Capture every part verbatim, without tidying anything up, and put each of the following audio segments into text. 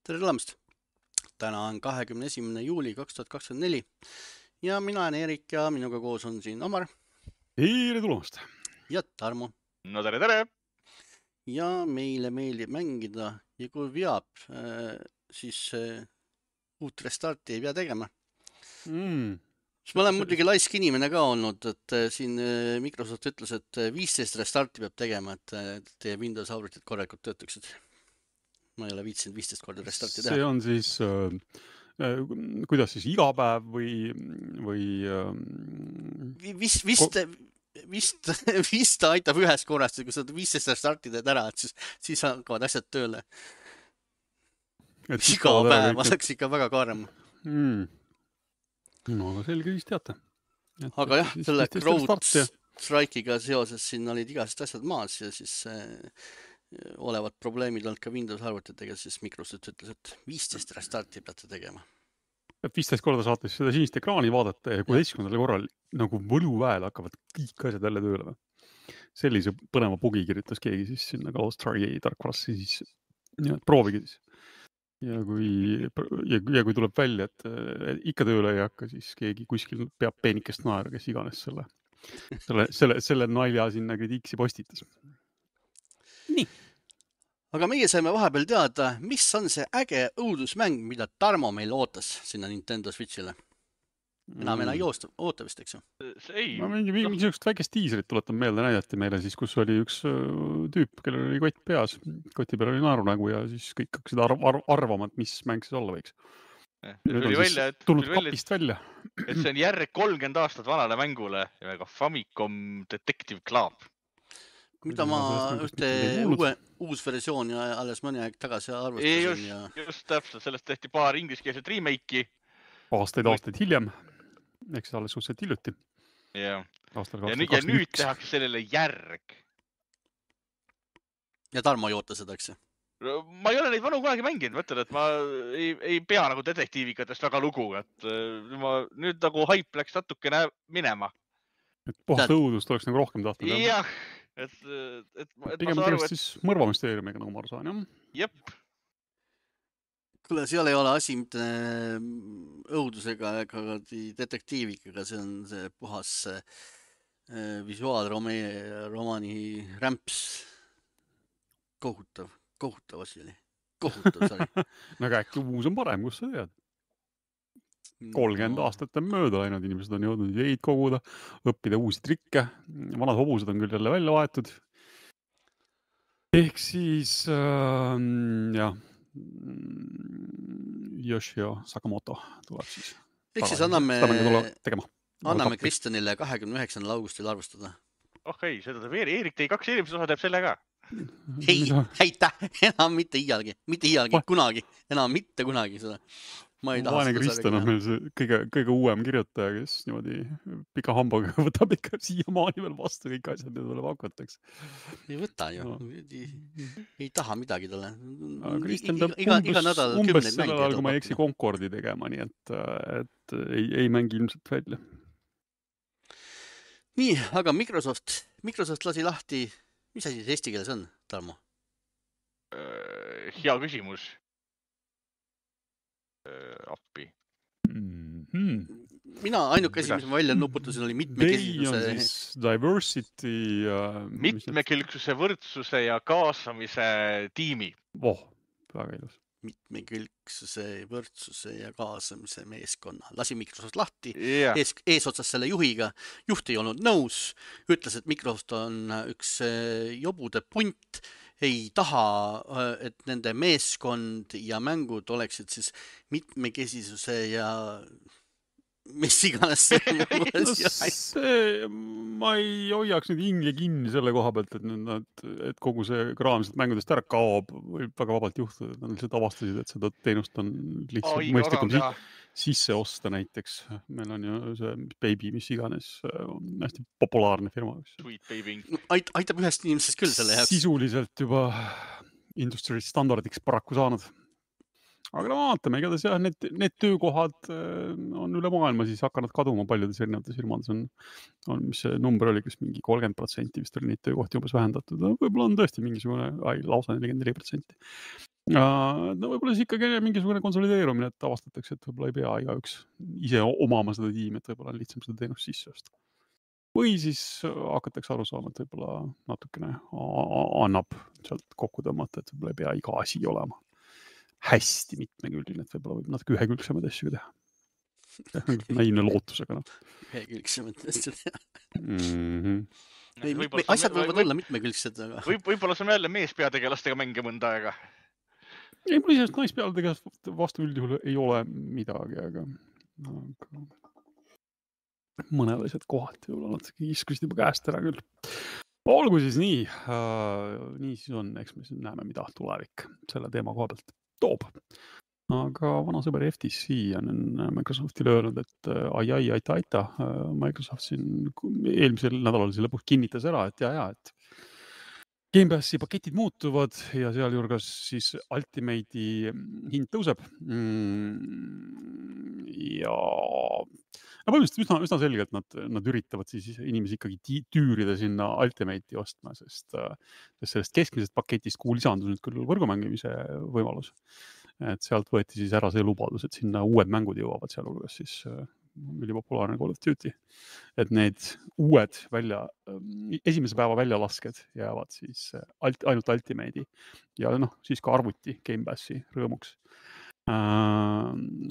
Tere tulemast! Täna on kahekümne esimene juuli kaks tuhat kakskümmend neli ja mina olen Erik ja minuga koos on siin Omar Tere tulemast! ja Tarmo. No tere, tere! Ja meile meeldib mängida ja kui veab, siis uut restarti ei pea tegema. Mm. Ma olen muidugi laisk inimene ka olnud, et siin Microsoft ütles, et viisteist restarti peab tegema, et teie Windows arvutid korralikult töötaksid. Ma ei ole viitsinud viisteist korda restarti teha. See on siis, äh, kuidas siis iga päev või, või äh, vist, vist, vist, vist ta aitab ühes korrast, kui sa viisteist restarti teed ära, et siis, siis hakkavad asjad tööle. Iga päev oleks ikka väga kaarem. Mm. No aga selge siis teate. Et, aga jah, selle CrowdStrike'iga seoses siin olid igased asjad maas ja siis äh, olevad probleemid olnud ka Windows arvutitega, siis Microsoft ütles, et viisteist restarti peate tegema. viisteist korda saate seda sinist ekraani vaadata ja kuueteistkümnendal korral nagu võluväel hakkavad kõik asjad jälle tööle. Sellise põneva bugi kirjutas keegi siis sinna CrowdStrike'i tarkvarasse siis ja, proovige siis. Ja kui, ja, ja kui tuleb välja, et, et ikka tööle ei hakka, siis keegi kuskil peab peenikest naera, kes iganes selle, selle, selle, selle nalja sinna kritiiksi postitas. Nii. Aga meie saime vahepeal teada, mis on see äge õudusmäng, mida Tarmo meil ootas sinna Nintendo Switchile. Enam enam ei oosta, oota vist, eks ju? Ei. Ma mingi, mingi niisugust väikest tiiserit tuletan meelde näidati meile siis, kus oli üks tüüp, kellel oli kott peas. Koti peal oli naerunägu ja siis kõik hakkasid arv, arv, arvama, et mis mäng siis olla võiks. Nüüd on välja, et, tulnud kapist välja. Et see on järg kolmkümmend aastat vanale mängule ja ka Famicom Detective Club. Mida ma ühte uue, uus versiooni alles mõni aeg tagasi arvustasin. Just, ja... just täpselt, sellest tehti paar ingliskeelset remake'i. Aastaid, aastaid hiljem. Eks alles suhteliselt hiljuti. Ja, ja nüüd, ja nüüd tehakse sellele järg. Ja Tarmo ei oota seda, eks? Ma ei ole neid vanu kunagi mänginud, mõtlen, et ma ei, ei pea nagu detektiivikatest väga lugu, et ma nüüd nagu hype läks natukene minema. Et puhast õudust oleks nagu rohkem tahtnud. Jah, et, et, et pigem tegemist siis mõrvamüsteeriumiga, nagu ma aru saan, jah? Jep. Kuule, seal ei ole asi mitte õudusega ega detektiivikaga, see on see puhas visuaalromaani rämps. Kohutav, kohutav asi oli. Kohutav sari. No aga äkki uus on parem, kus sa tead? kolmkümmend no. aastat on mööda läinud, inimesed on jõudnud ideid koguda, õppida uusi trikke, vanad hobused on küll jälle välja vaetud. Ehk siis, äh, jah, Yoshio Sakamoto tuleb siis. Ehk siis anname, anname Kristjanile kahekümne üheksandal augustil arvustada. Oh ei, seda teeb Erik, tei kaks eelmist osa teeb selle ka. Ei, heita, enam mitte iialgi, mitte iialgi, kunagi, enam mitte kunagi seda. Ma ei taha Vaene Kristjan on meil see kõige, kõige uuem kirjutaja, kes niimoodi pika hambaga võtab ikka siiamaani veel vastu kõik asjad, mida tuleb hakkataks. Ei võta ju, no. ei, ei taha midagi talle. Kristjan peab iga, iga nädal umbes sellel ajal, kui ma ei eksi Concordi tegema, nii et, et ei, ei mängi ilmselt välja. Nii, aga Microsoft, Microsoft lasi lahti, mis asi see eesti keeles on, Tarmo? Hea küsimus. Appi. Mm-hmm. Mina ainuke asi, mis ma välja nuputasin, oli mitmekesisuse... Diversity... Uh, mitmekülgsuse, võrdsuse ja kaasamise tiimi. Voh, väga ilus. Mitmekülgsuse, võrdsuse ja kaasamise meeskonna. Lasi Microsoft lahti, yeah. ees, ees otsas selle juhiga. Juht ei olnud nõus, ütles, et Microsoft on üks jobude punt, ei taha, et nende meeskond ja mängud oleksid siis mitmekesisuse ja mis iganes see no, see, ma ei hoiaks nüüd hinge kinni selle koha pealt, et, nad, et kogu see kraamselt mängudest ära kaob, võib väga vabalt juhtuda, et nad lihtsalt avastasid, et seda teenust on lihtsalt oh, mõistlikum si sisse osta näiteks. Meil on ju see Baby, mis iganes, on hästi populaarne firma. Sweet Baby. Ait, aitab ühest inimesest küll selle jaoks. Sisuliselt juba industry standardiks paraku saanud. aga no vaatame, igatahes jah, need, need töökohad on üle maailma siis hakanud kaduma paljudes erinevates firmades on, on, mis see number oli, kas mingi kolmkümmend protsenti vist oli neid töökohti umbes vähendatud. No, võib-olla on tõesti mingisugune, ai, lausa nelikümmend neli protsenti. No võib-olla siis ikkagi mingisugune konsolideerumine, et avastatakse, et võib-olla ei pea igaüks ise omama seda tiimi, et võib-olla on lihtsam seda teenust sisse osta. Või siis hakatakse aru saama, et võib-olla natukene annab sealt kokku tõmmata, et võib-olla ei pea iga asi olema hästi mitmekülgne, et võib-olla võib natuke ühekülgsemaid asju teha. Näine lootusega. No. Ühekülgsemaid asju teha. Mm-hmm. Ei, võib asjad võivad või, olla mitmekülgsed. Aga... Võib, võib-olla saame jälle meespeategelastega mänge mõnda aega. Ei, mul isest naispeategelast vastu üldjuhul ei ole midagi, aga, aga... mõned asjad kohati võib-olla natuke iskusid juba käest ära küll. Olgu siis nii. Uh, nii siis on, eks me siis näeme, mida tulevik selle teema koha pealt toob. Aga vana sõber F T C on Microsoftile öelnud, et ai, ai, aita, aita. Microsoft siin eelmisel nädalal see lõpuks kinnitas ära, et ja, ja, et Game Passi paketid muutuvad ja sealjuures siis Ultimate'i hind tõuseb. Ja no põhimõtteliselt üsna, üsna selgelt nad, nad üritavad siis inimesi ikkagi tüürida sinna Ultimate'i ostma, sest, sest sellest keskmisest paketist, kuhu lisandus nüüd küll võrgumängimise võimalus. Et sealt võeti siis ära see lubadus, et sinna uued mängud jõuavad sealhulgas siis ülipopulaarne Call of Duty. Et need uued välja, esimese päeva väljalasked jäävad siis ainult Ultimate'i ja noh, siis ka arvuti Game Passi rõõmuks. Äh,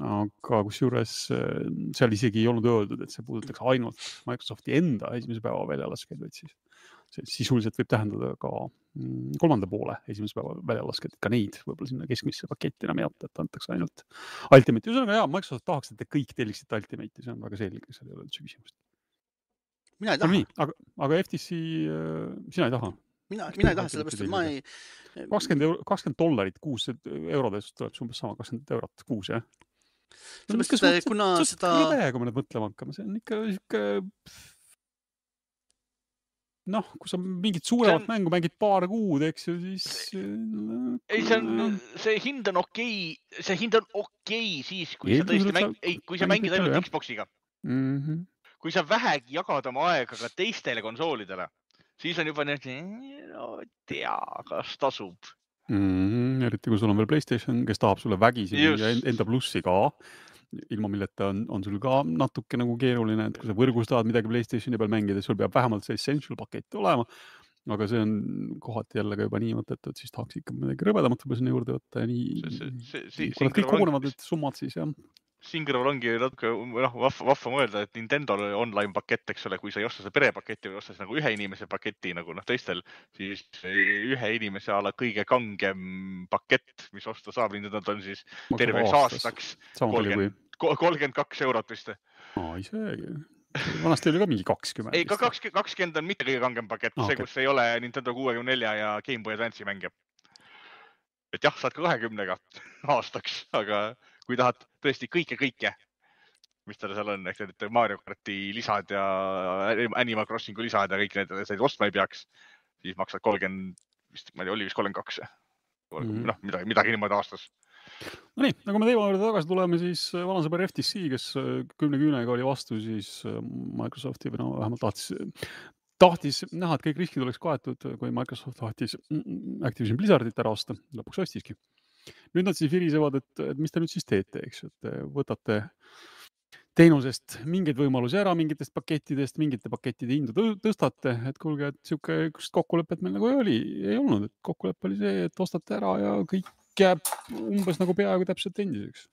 aga kusjuures seal isegi ei olnud öeldud, et see puudutaks ainult Microsofti enda esimese päeva väljalasked, vaid siis see sisuliselt võib tähendada ka kolmanda poole esimese päeva väljalasked, ka neid võib-olla sinna keskmisse paketti enam ei jätta, et antakse ainult Ultimate'i. Ühesõnaga, jaa, Microsoft tahaks, et te kõik telliksite Ultimate'i, see on väga selge, seal ei ole üldse küsimust. Mina ei taha. Aga, aga F T C, sina ei taha? Mina, mina ei taha, sellepärast, et ma ei... kakskümmend, kakskümmend dollarit kuus eurodest tuleb umbes sama kakskümmend eurot kuus, jah? Sellepärast, et kuna seda... Kõve, kui me nüüd mõtlema hakkame, see on ikka... ikka... noh, kui sa mingit suuremat on... mängu mängid paar kuud, eks ju, siis... Ei, see, on, see hind on okei, see hind on okei siis, kui ei, sa tõesti mäng... ei, kui sa mängid ainult jah. Xboxiga. Mm-hmm. Kui sa vähegi jagad oma aega ka teistele konsoolidele, siis on juba need, no tea, kas tasub. Mm-hmm. Eriti kui sul on veel PlayStation, kes tahab sulle vägisi ja enda plussi ka. Ilma milleta on, on sul ka natuke nagu keeruline, et kui sa võrgus tahad midagi PlayStationi peal mängida, sul peab vähemalt see essential pakett olema, aga see on kohati jälle ka juba nii mõtet, et siis tahaks ikka midagi rõvedamat võib-olla sinna juurde võtta ja nii, see, see, see, see, kui nad kõik kogunevad, et summad siis jah. Siin kõrval ongi natuke noh, vahva, vahva mõelda, et Nintendo online pakett, eks ole, kui sa ei osta see perepaketti või ostas nagu ühe inimese paketi nagu noh teistel, siis ühe inimese ala kõige kangem pakett, mis osta saab, Nintendo on siis terveks aastaks kolmkümmend kaks eurot vist. Aa, isegi. Vanasti oli ka mingi kakskümmend. Ei, ka kakskümmend on mitte kõige kangem pakett, see, kus ei ole Nintendo kuuekümne nelja ja Game Boy Advance'i mänge. Et jah, saad ka kahekümnega aastaks, aga kui tahad tõesti kõike-kõike, mis tal seal on, ehk need Mario Karti lisad ja Animal Crossingu lisad ja kõik need, need ostma ei peaks, siis maksad kolmkümmend, vist, ma ei tea, oli vist kolmkümmend kaks. Mm-hmm. Noh, midagi, midagi niimoodi aastas. No nii, nagu me teema juurde tagasi tuleme, siis vanasõber F T C, kes kümne küünega oli vastu, siis Microsofti või no vähemalt tahtis, tahtis näha, et kõik riskid oleks kaetud, kui Microsoft tahtis Activision Blizzardit ära osta, lõpuks ostiski. Nüüd nad siis virisevad, et, et mis te nüüd siis teete, eks, et võtate teenusest mingeid võimalusi ära, mingitest pakettidest, mingite pakettide hindu tõstate, et kuulge, et siuke kokkulepet meil nagu ei oli, ei olnud, et kokkulepe oli see, et ostate ära ja kõik jääb umbes nagu peaaegu täpselt endiseks.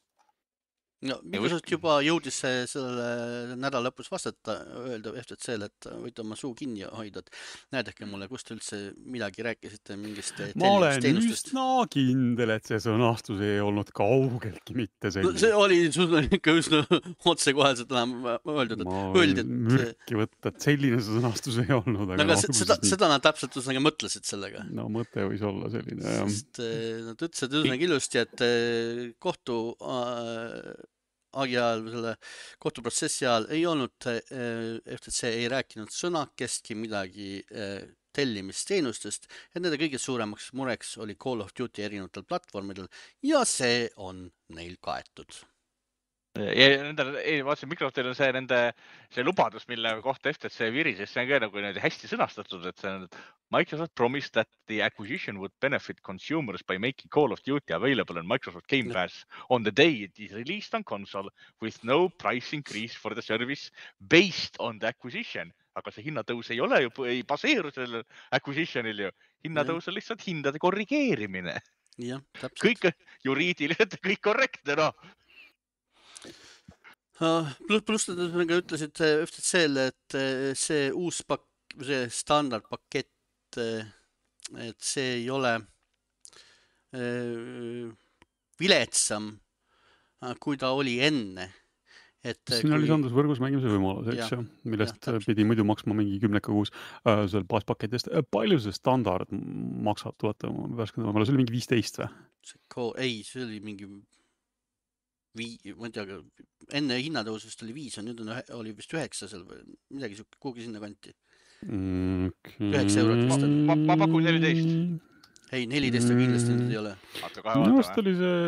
No, Microsoft juba jõudis selle nädala lõpus vastata, öelda F T C-le, et võite oma suu kinni hoida, et näedake mulle, kust üldse midagi rääkisite mingist teenustest. Ma olen üsna kindel, et see sõnastus ei olnud kaugeltki mitte selline. No, see oli sul ikka üsna otsekoheselt enam öeldud, et ma öeldi, et... mürki võtta, et selline sõnastus ei olnud. Aga no, seda, seda nad täpselt üsnagi mõtlesid sellega. No mõte võis olla selline, jah. Sest nad ütlesid üsnagi ilusti, et kohtu agi ajal, selle kohtuprotsessi ajal ei olnud F T C ei rääkinud sõnakestki midagi tellimisteenustest ja nende kõige suuremaks mureks oli Call of Duty erinevatel platvormidel ja see on neil kaetud. Ja nendel, ei, vaatasin, Microsoftil on see nende, see lubadus, mille kohta F T C virises, see on ka nagu hästi sõnastatud, et see on, et Microsoft promised that the acquisition would benefit consumers by making Call of Duty available on Microsoft Game Pass on the day it is released on console with no price increase for the service based on the acquisition. Aga see hinnatõus ei ole ju, ei baseeru sellel acquisitionil ju. Hinnatõus on lihtsalt hindade korrigeerimine. Ja, täpselt. Kõik juriidiliselt, kõik korrektne, no. Plus, plus nad ütlesid F T C-le, et see uus pak-, see standardpakett, et see ei ole viletsam, kui ta oli enne. Et siin kui... oli sandus võrgus mängimise võimalus, eks ju, millest ja, pidi muidu maksma mingi kümneka kuus äh, seal baaspaketist. Palju see standard maksab, tuleta värskendama, see oli mingi viisteist või? Ei, see oli mingi vii, ma ei tea, enne hinnatõusust oli viis, nüüd on, oli vist üheksa seal või midagi kuhugi sinna kanti. Okay. üheksa eurot vist on. Ma, ma pakun neliteist. Ei, neliteist on kindlasti nüüd ei ole. Minu vast oli see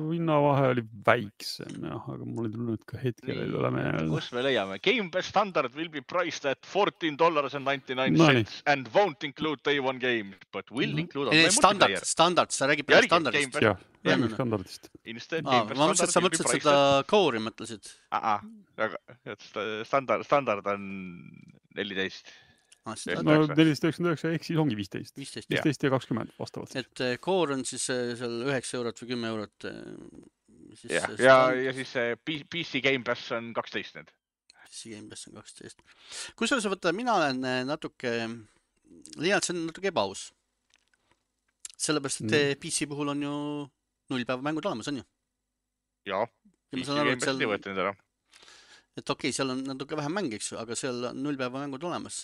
hinnavahe oli väiksem, jah, aga mul ei tulnud ka hetkel ei ole meelde. Kus me leiame? Game Pass standard will be priced at fourteen dollars and ninety-nine cents no, and won't include day one game, but will mm-hmm. include online multiplayer. Standard, standard, sa räägib peale standardist. Jah, räägib standardist. Aa, ma mõtlesin, et sa mõtlesid seda Core'i mõtlesid. Aa, aga standard, standard on neliteist. No neliteist üheksakümmend üheksa ehk siis ongi viisteist. viisteist ja kakskümmend vastavalt. Et Core on siis seal üheksa eurot või kümme eurot. Siis ja, ja, ja siis P C Game Pass on kaksteist nüüd. P C Game Pass on kaksteist. Kus sa võtta, mina olen natuke, leian, see on natuke ebaaus. Sellepärast, et mm. P C puhul on ju null päeva mängud olemas, on ju? Jaa, P C Game Pass ei võeta nüüd ära. Et okei, okay, seal on natuke vähem mäng, eks ju, aga seal on null päeva mängud olemas.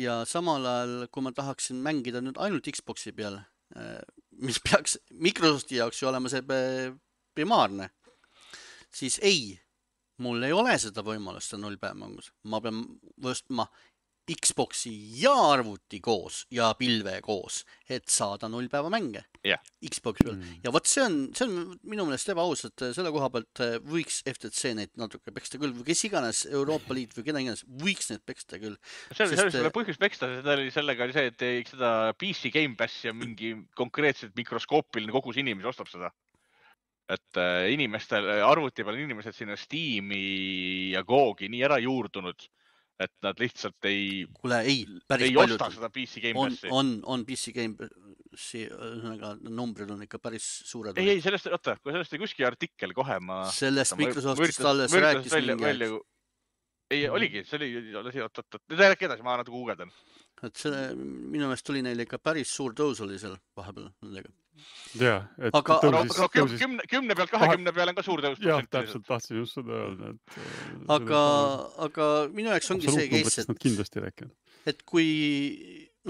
Ja samal ajal, kui ma tahaksin mängida nüüd ainult Xboxi peal, mis peaks Microsofti jaoks ju olema see primaarne, siis ei, mul ei ole seda võimalust null päeva mängus. Ma pean võstma Xboxi ja arvuti koos ja pilve koos, et saada null päeva mänge yeah. Xboxi peal. Mm. Ja võt see on, see on minu meelest ebaaus, et selle koha pealt võiks F T C neid natuke peksta küll, või kes iganes Euroopa Liit või keda iganes, võiks neid peksta küll. See oli Sest... selle põhjus peksta, seda oli sellega oli see, et ei, seda P C Game Pass ja mingi konkreetselt mikroskoopiline kogus inimesi ostab seda. Et inimestel, arvuti peal inimesed sinna Steam'i ja Googi nii ära juurdunud, et nad lihtsalt ei, Kule, ei, ei osta seda P C Game Passi. On, on, on P C Game Passi, numbrid on ikka päris suured. Ei, ei, sellest, oota, kui sellest oli kuski artikkel kohe, ma... Sellest Microsoftist alles rääkis mingi aeg. Ei, oligi, see oli, oot, oot, oot, nüüd rääk edasi, ma natuke guugeldan. Et see, minu meelest tuli neil ikka päris suur tõus oli seal vahepeal nendega. Jaa, et aga, tõusis, aga tõusis... Kümne, kümne pealt kahekümne peale on ka suur tõus. Jah, täpselt tahtsin just seda öelda. Et, aga, aga minu jaoks ongi see case, et, kindlasti rääkinud. Et kui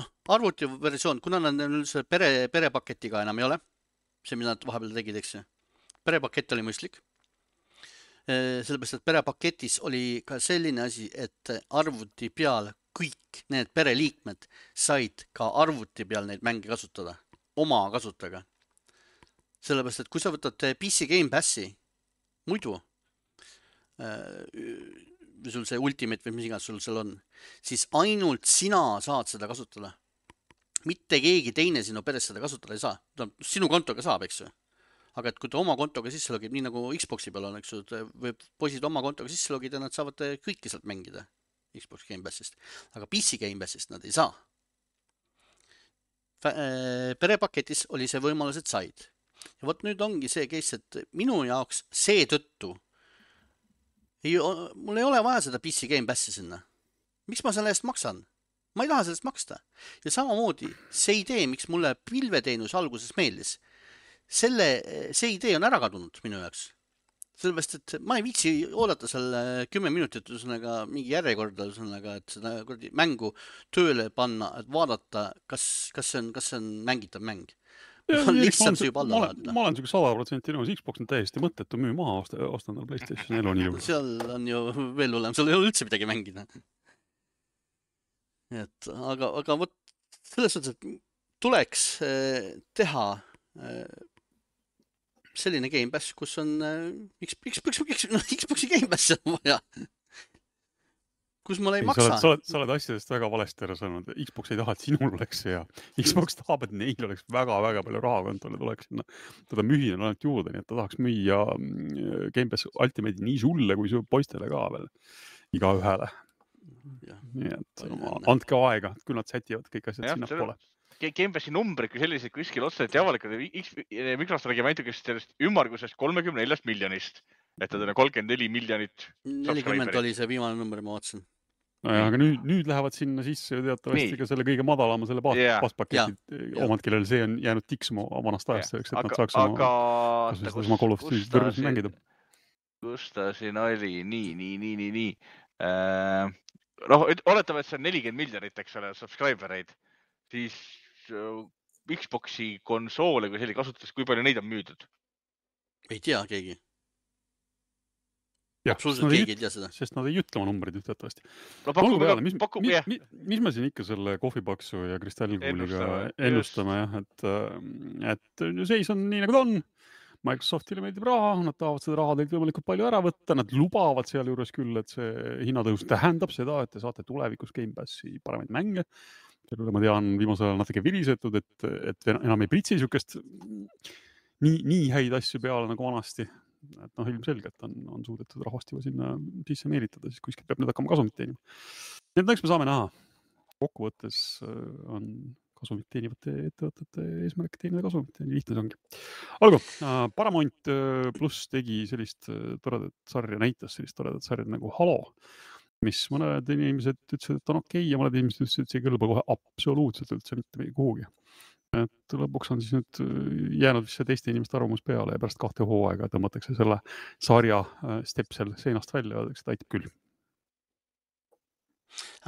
noh, arvuti versioon, kuna nad üldse pere, perepaketiga enam ei ole, see, mida nad vahepeal tegid, eks see, perepakett oli mõistlik. Sellepärast, et perepaketis oli ka selline asi, et arvuti peal kõik need pereliikmed said ka arvuti peal neid mänge kasutada, oma kasutaga. Sellepärast, et kui sa võtad P C Game Passi, muidu, või sul see Ultimate või mis iganes sul seal on, siis ainult sina saad seda kasutada. Mitte keegi teine sinu peres seda kasutada ei saa. Sinu kontoga saab, eks ju. Aga et kui ta oma kontoga sisse logib, nii nagu Xboxi peal on, eks ju, või poisid oma kontoga sisse logida, nad saavad kõiki sealt mängida Xbox Game Passist. Aga P C Game Passist nad ei saa. Perepaketis oli see võimalus, et said. Ja võt nüüd ongi see case, et minu jaoks see tõttu ei, mul ei ole vaja seda P C Game Passi sinna. Miks ma selle eest maksan? Ma ei taha sellest maksta. Ja samamoodi see idee, miks mulle pilveteenus alguses meeldis, selle, see idee on ära kadunud minu jaoks. Sellepärast, et ma ei viitsi oodata seal kümme minutit üsnaga mingi järjekorda üsnaga, et seda mängu tööle panna, et vaadata, kas, kas, see on, kas see on mängitav mäng. Ja, on lihtsalt see juba alla vaadata. Ma olen siuke sada protsenti nõus, Xbox on täiesti mõttetu müü maha ostandal PlayStation neli nii juurde. Seal on ju veel hullem, seal ei ole üldse midagi mängida. Et, aga, aga võt, selles suhtes, et tuleks teha selline Game Pass, kus on Xbox'i Game Pass on vaja. Kus ma ei maksa. Sa oled, sa, oled, sa oled asjadest väga valesti ära saanud. Xbox ei taha, et sinul oleks see ja Xbox tahab, et neil oleks väga-väga palju raha kontole tuleks sinna. Teda müüa on ainult juurde, nii et ta tahaks müüa Game Pass Ultimate'i nii sulle kui su poistele ka veel. Iga ühele. Nii et andke aega, küll nad sätivad kõik asjad ja, sinna pole. Game Passi numbrid kui sellised kuskil otseselt ja avalikud. Microsoft räägib ainult sellest ümmargusest kolmekümne neljast miljonist. Et ta on kolmkümmend neli miljonit. nelikümmend oli see viimane number, ma vaatasin. Nojah, aga nüüd, nüüd lähevad sinna sisse teatavasti ka selle kõige madalama selle baaspaketid yeah. omad, kellel see on jäänud tiksuma vanast ajast selleks, et aga, nad saaks oma, aga, oma Call of Duty kõrgusel mängida. Kus ta siin oli? Nii, nii, nii, nii, nii. Äh, noh, oletame, et see on nelikümmend miljonit, eks ole, subscribereid. Siis Xboxi konsoole, kui selline kasutas, kui palju neid on müüdud? Ei tea keegi. Jah, absoluutselt keegi ei tea seda. Sest nad ei ütle oma numbrid ühteatavasti. No paku, peale, mis, paku, mis, mis, mis me siin ikka selle kohvipaksu ja kristallkuuliga ennustame, jah, et, et seis on nii nagu ta on. Microsoftile meeldib raha, nad tahavad seda raha teilt võimalikult palju ära võtta, nad lubavad seal juures küll, et see hinnatõus tähendab seda, et te saate tulevikus Game Passi paremaid mänge. Sellele ma tean viimasel ajal natuke virisetud, et, et enam ei pritsi sükest nii, nii häid asju peale nagu vanasti. Et noh, ilmselgelt on, on suudetud rahvast juba sinna sisse meelitada, siis kuskilt peab nüüd hakkama kasumit teenima. Nii et eks me saame näha. Kokkuvõttes on kasumit teenivate ettevõtete eesmärk teenida kasumit. Nii lihtne see ongi. Olgu, Paramount Plus tegi sellist toredat sarja, näitas sellist toredat sarja nagu Halo, mis mõned inimesed ütlesid, et on okei ja mõned inimesed ütlesid, et see ei kõlba kohe absoluutselt üldse mitte kuhugi. Et lõpuks on siis nüüd jäänud see teiste inimeste arvamus peale ja pärast kahte hooaega tõmmatakse selle sarja stepsel seinast välja ja öeldakse, et aitab küll.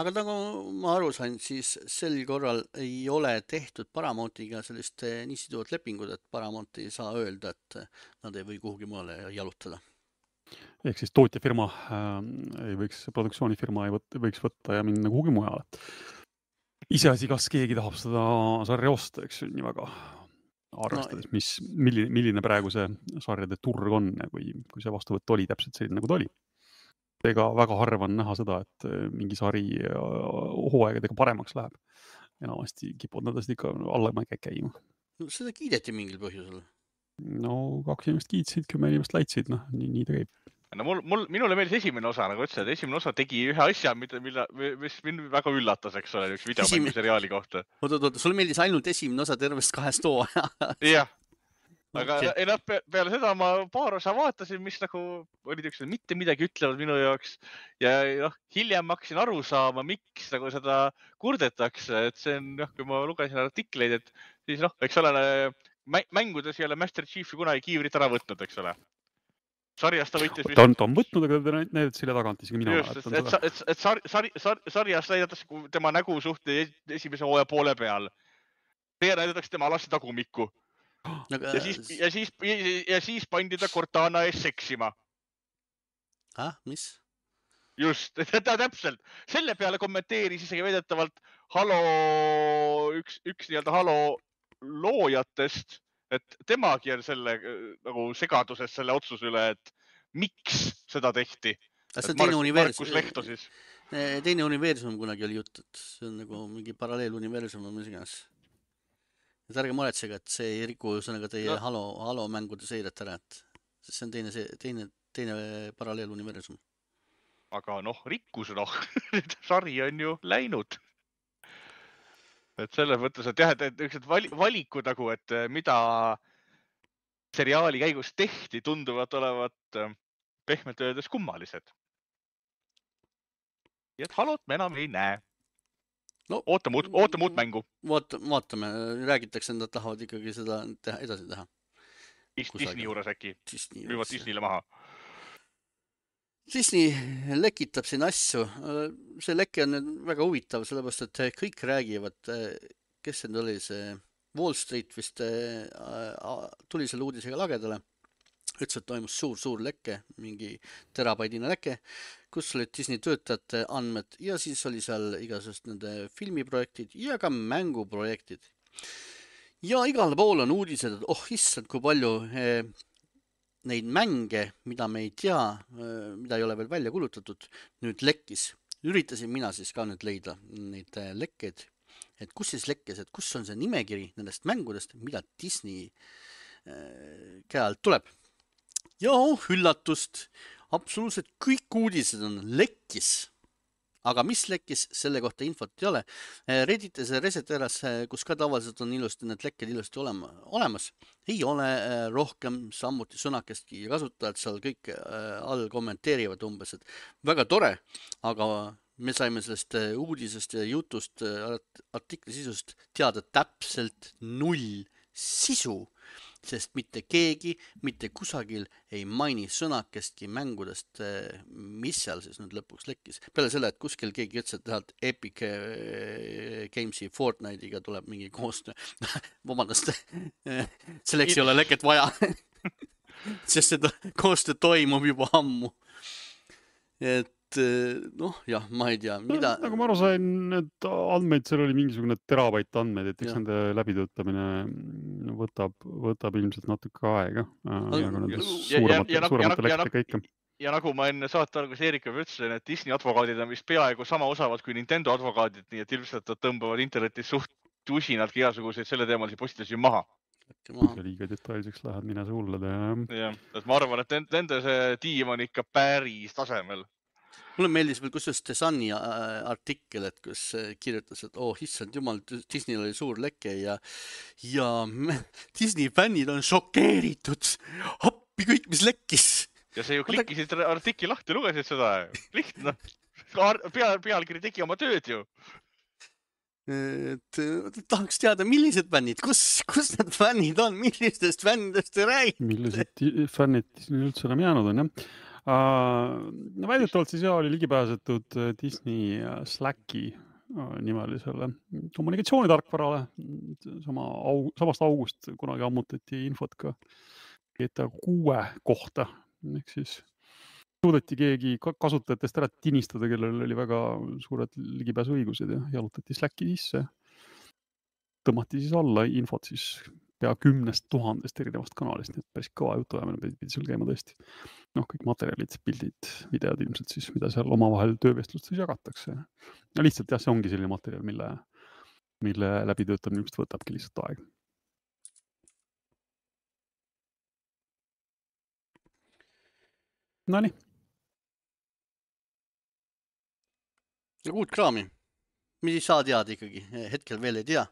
Aga nagu ma aru sain, siis sel korral ei ole tehtud Paramountiga sellist nii siduvat lepingut, et Paramount ei saa öelda, et nad ei või kuhugi mulle jalutada. Ehk siis tootjafirma ei võiks, produktsioonifirma ei võt, võiks võtta ja minna kuhugi mujale. Iseasi, kas keegi tahab seda sarja osta, eks nii väga arvestades, no, mis, milline, milline praegu see sarjade turg on ja kui, kui see vastuvõtt oli täpselt selline, nagu ta oli. Ega väga harva on näha seda, et mingi sari hooaegadega paremaks läheb. Enamasti kipud nad ikka allamäge käima. No, seda kiideti mingil põhjusel. No kaks inimest kiitsid, kümme inimest laitsid, noh, nii, nii ta käib. No mul, mul, minule meeldis esimene osa, nagu ütlesid, esimene osa tegi ühe asja, mida, mida, mis mind väga üllatas, eks ole, üks videomängu seriaali kohta. Oot, oot, oot, sul meeldis ainult esimene osa tervest kahest hooaja. Jah, aga okay. Ei, peale seda ma paar osa vaatasin, mis nagu olid üks, mitte midagi ütlevad minu jaoks ja noh, hiljem hakkasin aru saama, miks nagu seda kurdetakse, et see on, noh, kui ma lugesin artikleid, et siis noh, eks ole, mängudes ei ole Master Chiefi kunagi kiivrit ära võtnud, eks ole. Sarjast ta võitis... Ta on, ta on võtnud, aga ta näidatas selle tagant isegi mina. Just, et, et, et, et sar, sar, sar, sarjast näidatas tema nägu suhte esimese hooaja poole peal. See näidatakse tema alasti tagumikku. Ja siis, ja, siis, ja siis pandi ta Cortana ees seksima. Ah, mis? Just, ta täpselt. Selle peale kommenteeris isegi veidetavalt Halo, üks, üks nii-öelda Halo loojatest, et temagi on selle nagu segaduses selle otsuse üle, et miks seda tehti. See on teine universum. Markus Lehto siis. Teine universum kunagi oli jutt, et see on nagu mingi paralleeluniversum või mis iganes. Et ärge muretsega, et see ei riku sõnaga teie no. Halo, Halo mängude seiret ära, et see on teine, teine, teine paralleeluniversum. Aga noh, rikkus noh, sari on ju läinud. Et selles mõttes, et jah, et üks valikud nagu, et mida seriaali käigus tehti, tunduvad olevat pehmelt öeldes kummalised. Ja et Halot me enam ei näe. No, ootame, uut, ootame uut mängu. Vaat, vaatame, räägitakse, et nad tahavad ikkagi seda teha, edasi teha. Disney juures äkki. Müüvad Disneyle maha. Disney lekitab siin asju. See leke on väga huvitav, sellepärast, et kõik räägivad, kes see oli see Wall Street vist tuli selle uudisega lagedale. Ütles, et toimus suur-suur leke, mingi terabaidine leke, kus olid Disney töötajate andmed ja siis oli seal igasugust nende filmiprojektid ja ka mänguprojektid. Ja igal pool on uudised, et oh issand, kui palju eh, neid mänge, mida me ei tea, eh, mida ei ole veel välja kulutatud, nüüd lekkis. Üritasin mina siis ka nüüd leida neid eh, lekkeid, et kus siis lekkis, et kus on see nimekiri nendest mängudest, mida Disney eh, käe alt tuleb. Ja oh, üllatust, absoluutselt kõik uudised on lekkis, aga mis lekkis, selle kohta infot ei ole. Redditis ja Reseteras, kus ka tavaliselt on ilusti need lekked ilusti olema, olemas, ei ole rohkem samuti sõnakestki ja kasutajad seal kõik all kommenteerivad umbes, et väga tore, aga me saime sellest uudisest ja jutust, artikli sisust teada täpselt null sisu, sest mitte keegi, mitte kusagil ei maini sõnakestki mängudest, mis seal siis nüüd lõpuks lekkis. Peale selle, et kuskil keegi ütles, et tahalt Epic Gamesi Fortnite'iga tuleb mingi koostöö. Vabandust, selleks ei ole leket vaja, sest seda koostöö toimub juba ammu. Et noh, jah, ma ei tea, mida... Nagu ma aru sain, et andmeid, seal oli mingisugune terabait andmeid, et eks Ja. nende läbitöötamine võtab, võtab ilmselt natuke aega. Ja, ja, ja- suuremate, ja- ja- suuremate ja- ja- lekkide kõike. ja nagu ma enne saate alguses Eerikule ütlesin, et Disney advokaadid on vist peaaegu sama osavad kui Nintendo advokaadid, nii et ilmselt nad tõmbavad internetis suht tusinadki igasuguseid selle teemalisi postitusi maha. Kui liiga detailseks lähed, mine sa hullad. Ja... Jah, et ma arvan, et nende see tiim on ikka päris tasemel. Mulle meeldis veel kusjuures The Suni artikkel, et kus kirjutas, et oh, issand jumal, Disneyl oli suur leke ja, ja Disney fännid on šokeeritud. Appi kõik, mis lekkis. Ja see ju klikkisid artikli lahti, lugesid seda. Lihtne. Peal, pealkiri tegi oma tööd ju. Et tahaks teada, millised fännid, kus, kus need fännid on, millistest fännidest te räägite? Millised fännid Disney üldse enam jäänud on, jah? Uh, no väidetavalt siis jah, oli ligipääsetud Disney Slacki nimelisele kommunikatsioonitarkvarale. Sama au, samast august kunagi ammutati infot ka G T A kuue kohta. Ehk siis suudeti keegi kasutajatest ära tinistada, kellel oli väga suured ligipääsuõigused ja jalutati Slacki sisse. Tõmmati siis alla infot siis pea kümnest tuhandest erinevast kanalist, nii et päris kõva jutuajamine pidi sul käima tõesti. Noh, kõik materjalid, pildid, videod ilmselt siis, mida seal omavahel töövestlustes jagatakse. Ja lihtsalt jah, see ongi selline materjal, mille, mille läbitöötamine ilmselt võtabki lihtsalt aeg. No nii. Ja uut kraami. Mis ei saa teada ikkagi, hetkel veel ei tea,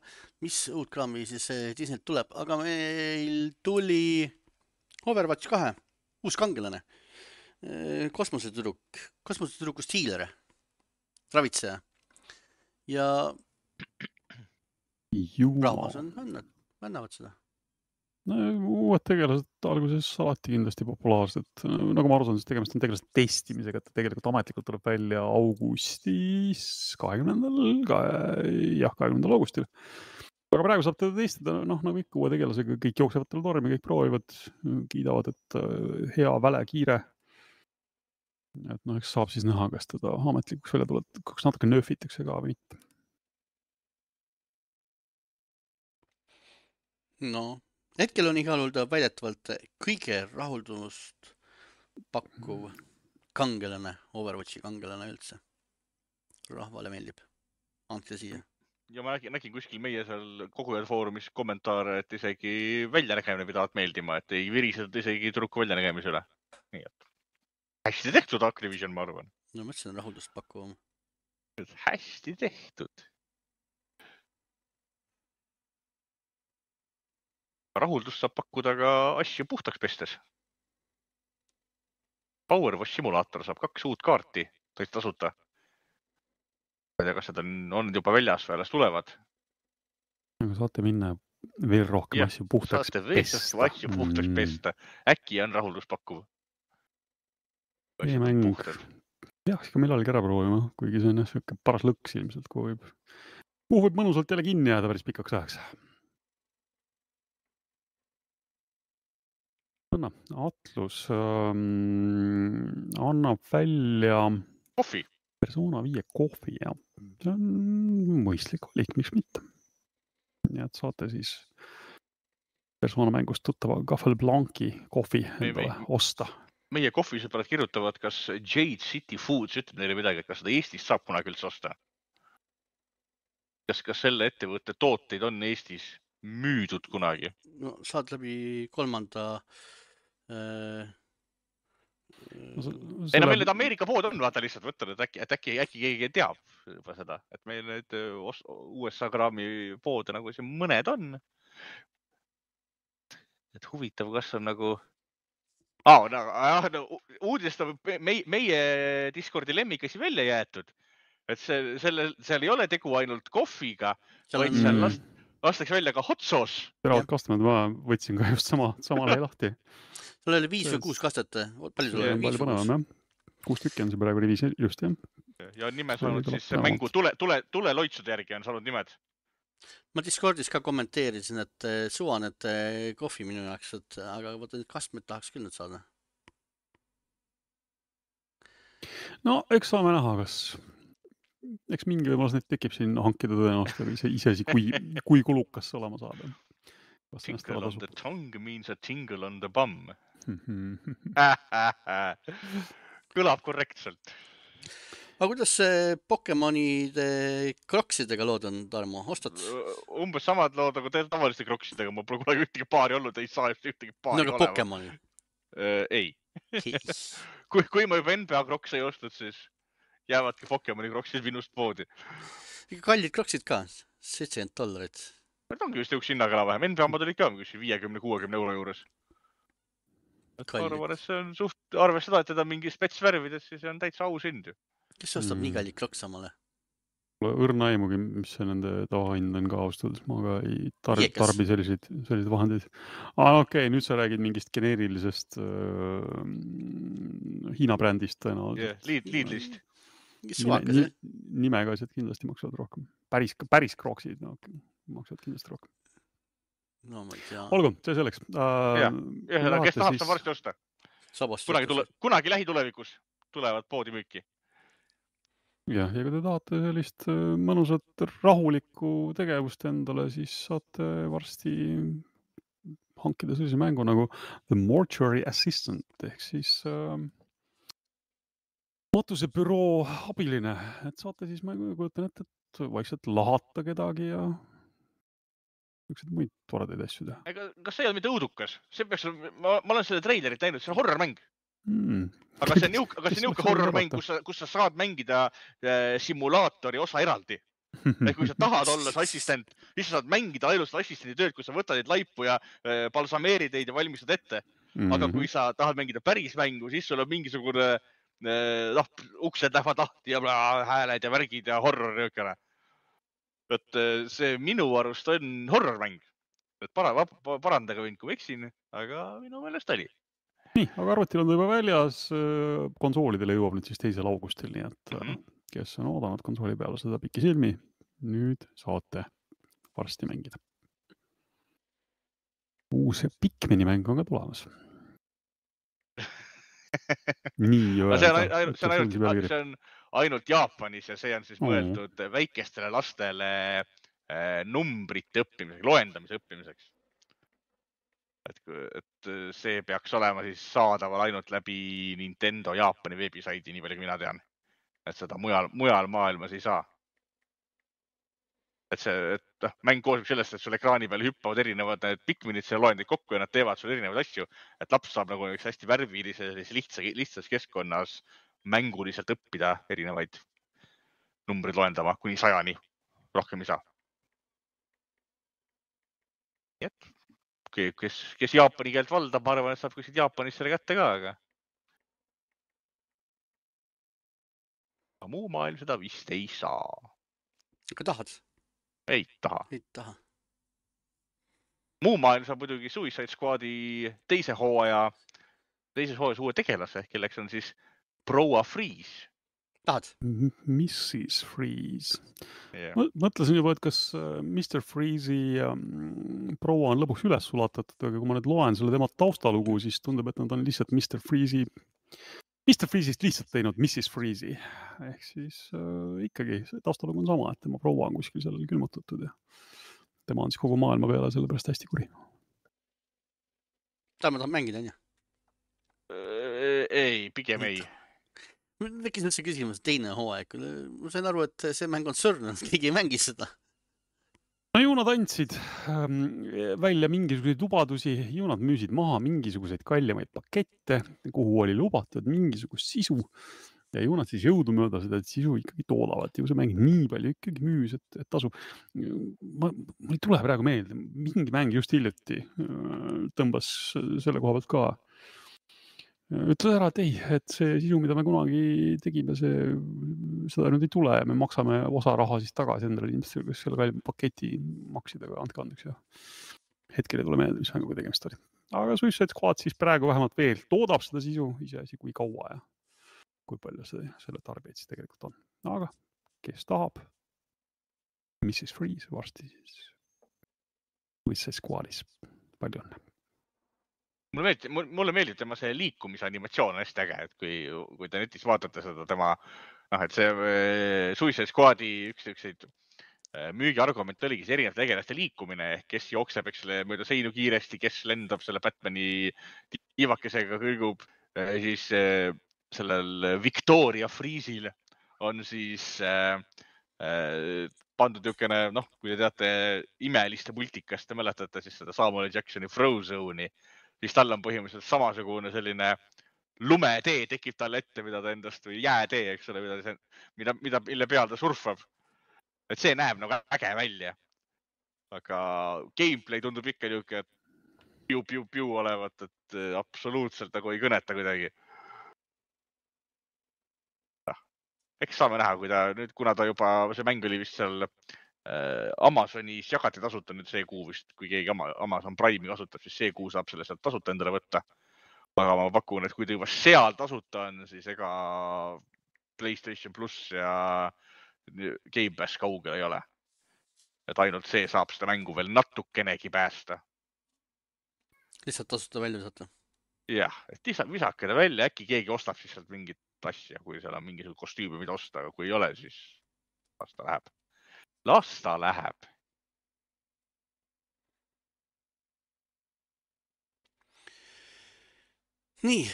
mis uut kraami siis Disneylt tuleb, aga meil tuli Overwatch kahe, uus kangelane, kosmosetüdruk, kosmosetüdrukust hiilere, ravitseja ja rahvas on, annavad seda. No, uued tegelased alguses alati kindlasti populaarsed. Nagu ma aru saan, siis tegemist on tegelased testimisega, et tegelikult ametlikult tuleb välja augustis kahekümnendal, jah, kahekümnendal augustil. Aga praegu saab teda testada, noh, nagu ikka uue tegelasega, kõik jooksevad talle tormi, kõik proovivad, kiidavad, et hea, väle, kiire. Et noh, eks saab siis näha, kas teda ametlikuks välja tuleb, kas natuke nööfitakse ka või mitte. No, hetkel on igal juhul ta väidetavalt kõige rahuldumust pakkuv kangelane, Overwatchi kangelane üldse. Rahvale meeldib. Andke siia. Ja ma nägin, nägin kuskil meie seal kogujad foorumis kommentaare, et isegi väljanägemine pidavat meeldima, et ei virised isegi tüdruku väljanägemise üle. Nii et hästi tehtud Activision, ma arvan. No mõtlesin rahuldust pakkuvam. Hästi tehtud. Rahuldust saab pakkuda ka asju puhtaks pestes. Power Wash simulaator saab kaks uut kaarti, tõesti tasuta. Ma ei tea, kas seda on, on juba väljas või alles tulevad. Aga saate minna veel rohkem ja, asju puhtaks pesta. Saate veel rohkem asju puhtaks mm. pesta. Äkki on rahuldust pakkuv. Ei mäng. Peaks ka millalgi ära proovima, kuigi see on jah, paras lõks ilmselt, kuhu võib, kuhu võib mõnusalt jälle kinni jääda päris pikaks ajaks. Atlus ähm, annab välja kohvi. Persona viie kohvi, jah. See on mõistlik valik, miks mitte. Nii et saate siis Persona mängust tuttava Gaffel Blanci kohvi endale me, osta. Meie kohvisõbrad kirjutavad, kas Jade City Foods ütleb neile midagi, et kas seda Eestis saab kunagi üldse osta. Kas, kas selle ettevõtte tooteid on Eestis müüdud kunagi? No saad läbi kolmanda äh, No, ei no meil need Ameerika pood on, vaata lihtsalt võtnud, et äkki, et äkki, äkki keegi teab juba seda, et meil need U S A kraami poode nagu siin mõned on. Et huvitav, kas on nagu... Ah, no, no, uudist on meie, meie Discordi lemmikasi välja jäetud. Et see, selle, seal ei ole tegu ainult kohviga, seal vaid on... seal last, lastakse välja ka hot sauce. Teravad kastamad, ma võtsin ka just sama, sama lehe lahti. Sul oli viis või kuus kastet? Palju sul oli? Palju põnevam, jah. Kuus tükki on see praegu viis just, jah. Ja on nime saanud siis mängu tule, tule, tule loitsude järgi on saanud nimed. Ma Discordis ka kommenteerisin, et suvanete kohvi minu jaoks, et, aga võtta nüüd kastmed tahaks küll nüüd saada. No, eks saame näha, kas... Eks mingi võimalus neid tekib siin hankida tõenäoliselt või see isesi, kui, kui kulukas see olema saada. Tingle on the tongue means a tingle on the bum. Kõlab korrektselt. Aga kuidas see Pokemonide kroksidega lood on, Tarmo? Ostad? Umbes samad lood nagu tavaliste kroksidega. Ma pole kunagi ühtegi paari olnud, ei saa ühtegi paari olema. Nagu Pokemoni? Uh, ei. kui, kui ma juba N B A kroks ei ostnud, siis jäävadki Pokemoni kroksid minust poodi. Kallid kroksid ka, seitsekümmend dollarit. Need ongi vist üks hinnaga enam vähem. N B A omad olid ka viiekümne kuuekümne euro juures. Arvan, et see on suht, arves seda, et teda mingi spetsvärvides, siis see on täitsa aus hind ju. Kes ostab mm. nii kallid kroks samale? Õrna aimugi, mis see nende tavahind on ka austud, ma ka ei tarbi, tarbi selliseid, selliseid vahendeid. Ah, okei, okay, nüüd sa räägid mingist geneerilisest äh, Hiina brändist tõenäoliselt. Yeah, lead, Lidlist. Nime, nimega asjad kindlasti maksavad rohkem. Päris, päris kroksid no, maksavad kindlasti rohkem. No ma ei tea. Olgu, see selleks. Uh, ja, ja kes tahab, saab varsti osta. Kunagi, tule, kunagi lähitulevikus tulevad poodi müüki. Ja, ja kui te tahate sellist mõnusat rahulikku tegevust endale, siis saate varsti hankida sellise mängu nagu The Mortuary Assistant, ehk siis äh, matusebüroo abiline. Et saate siis, ma kujutan ette, et vaikselt lahata kedagi ja üksid muid toredaid asju teha. Ega, kas see ei ole mitte õudukas? See peaks, ma, ma olen selle treilerit näinud, see on horror-mäng. Hmm. Aga see on niuke, aga see on niuke horror-mäng, kus sa, kus sa saad mängida äh, simulaatori osa eraldi. Et kui sa tahad olla see assistent, siis sa saad mängida ainult assistendi tööd, kui sa võtad neid laipu ja äh, balsameerid neid ja valmistad ette. Aga kui sa tahad mängida päris mängu, siis sul on mingisugune äh, noh, uksed lähevad lahti ja bla, hääled ja värgid ja horror niukene. Et äh, see minu arust on horror-mäng. Et para, parandage võin, kui eksin, aga minu meelest oli. Nii, aga arvutil on ta juba väljas, konsoolidele jõuab nüüd siis teisel augustil, nii et mm-hmm. kes on oodanud konsooli peale seda pikki silmi, nüüd saate varsti mängida. Uus Pikmini mäng on ka tulemas. Nii öelda. See on ainult, see on ainult, see on ainult Jaapanis ja see on siis mõeldud mm. väikestele lastele äh, numbrite õppimiseks, loendamise õppimiseks. Et, et see peaks olema siis saadaval ainult läbi Nintendo Jaapani veebisaidi, nii palju kui mina tean. Et seda mujal, mujal maailmas ei saa. Et see, et mäng koosib sellest, et sul ekraani peal hüppavad erinevad need Pikminid, see loendid kokku ja nad teevad sul erinevaid asju. Et laps saab nagu üks hästi värvilise, lihtsa, lihtsas keskkonnas mänguliselt õppida erinevaid numbrid loendama kuni sajani. Rohkem ei saa. Et Kes, kes Jaapani keelt valdab, ma arvan, et saab kuskilt Jaapanis selle kätte ka, aga... aga muu maailm seda vist ei saa. Aga tahad? Ei taha. Ei taha. Muu maailm saab muidugi Suicide Squadi teise hooaja, teises hooajas uue tegelase, kelleks on siis Proa Freeze. Tahad? missis Freeze. Yeah. Ma mõtlesin juba, et kas mister Freeze'i um, proua on lõpuks üles sulatatud, aga kui ma nüüd loen selle tema taustalugu, siis tundub, et nad on lihtsalt mister Freeze'i mister Freeze'ist lihtsalt teinud missis Freeze'i. Ehk siis äh, ikkagi taustalugu on sama, et tema proua on kuskil seal külmutatud ja tema on siis kogu maailma peale sellepärast hästi kuri. Ta ma tahan mängida, on ju? Ei, pigem ei. Tekkis üldse küsimus teine hooaeg. Ma sain aru, et see mäng on surnud, keegi ei mängi seda. No ju nad andsid ähm, välja mingisuguseid lubadusi, ju nad müüsid maha mingisuguseid kallimaid pakette, kuhu oli lubatud mingisugust sisu ja ju nad siis jõudumööda seda sisu ikkagi toodavad. Ju see mäng nii palju ikkagi müüs, et, et tasu. Ma, ma ei tule praegu meelde, mingi mäng just hiljuti tõmbas selle koha pealt ka. Ütle ära, et ei, et see sisu, mida me kunagi tegime, see, seda nüüd ei tule ja me maksame osa raha siis tagasi endale inimestele, kes selle kalli paketi maksid, aga andke andeks ja hetkel ei tule meelde, mis mänguga tegemist oli. Aga Suicide Squad siis praegu vähemalt veel toodab seda sisu, iseasi kui kaua ja kui palju see, selle tarbijaid siis tegelikult on. Aga kes tahab, missis Freeze varsti siis Suicide Squadis. Palju on. Mulle meeldib, mulle meeldib tema see liikumise animatsioon hästi äge, et kui, kui te netis vaatate seda tema, noh, et see Suicide Squadi üks ükseid müügiargument oligi see erinevate tegelaste liikumine, ehk kes jookseb, eks selle mööda seinu kiiresti, kes lendab selle Batmani tiivakesega kõrgub, siis sellel Victoria Freeze'il on siis äh, äh, pandud jõukene, noh, kui te teate imeliste multikast, te mäletate siis seda Samuel Jacksoni Frozone'i, siis tal on põhimõtteliselt samasugune selline lumetee tekib talle ette, mida ta endast, või jäätee, eks ole, mida, mida, mida, mille peal ta surfab. Et see näeb nagu äge välja. Aga gameplay tundub ikka niuke piu-piu-piu olevat, et absoluutselt nagu ei kõneta kuidagi. Eks saame näha, kui ta nüüd, kuna ta juba, see mäng oli vist seal Amazonis jagati tasuta nüüd see kuu vist, kui keegi Amazon Prime'i kasutab, siis see kuu saab selle sealt tasuta endale võtta. Aga ma pakun, et kui ta juba seal tasuta on, siis ega PlayStation Plus ja Game Pass kaugel ei ole. Et ainult see saab seda mängu veel natukenegi päästa. Lihtsalt tasuta välja saata. Jah, et lihtsalt visake ta välja, äkki keegi ostab siis sealt mingit asja, kui seal on mingisugune kostüümi, mida osta, aga kui ei ole, siis las ta läheb. Las ta läheb. Nii.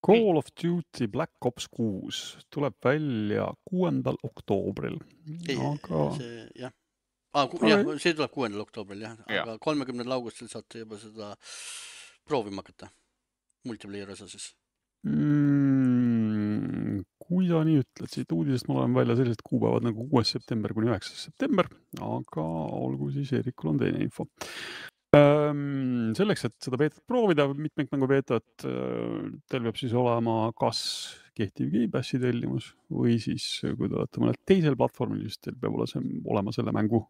Call of Duty Black Ops kuus tuleb välja kuuendal oktoobril. Aga... See, jah. Ah, ku, jah, see tuleb kuuendal oktoobril, jah. Aga kolmekümnendal augustil saate juba seda proovima hakata. Multiplayer osa siis. Mm, kui sa nii ütled, siit uudisest ma olen välja sellised kuupäevad nagu kuues september kuni üheksas september, aga olgu siis Eerikul on teine info. Ähm, selleks, et seda beetat proovida, mitmikmängu beetat, teil peab siis olema kas kehtiv Game Passi tellimus või siis, kui te olete mõnel teisel platvormil, siis teil peab olema selle mängu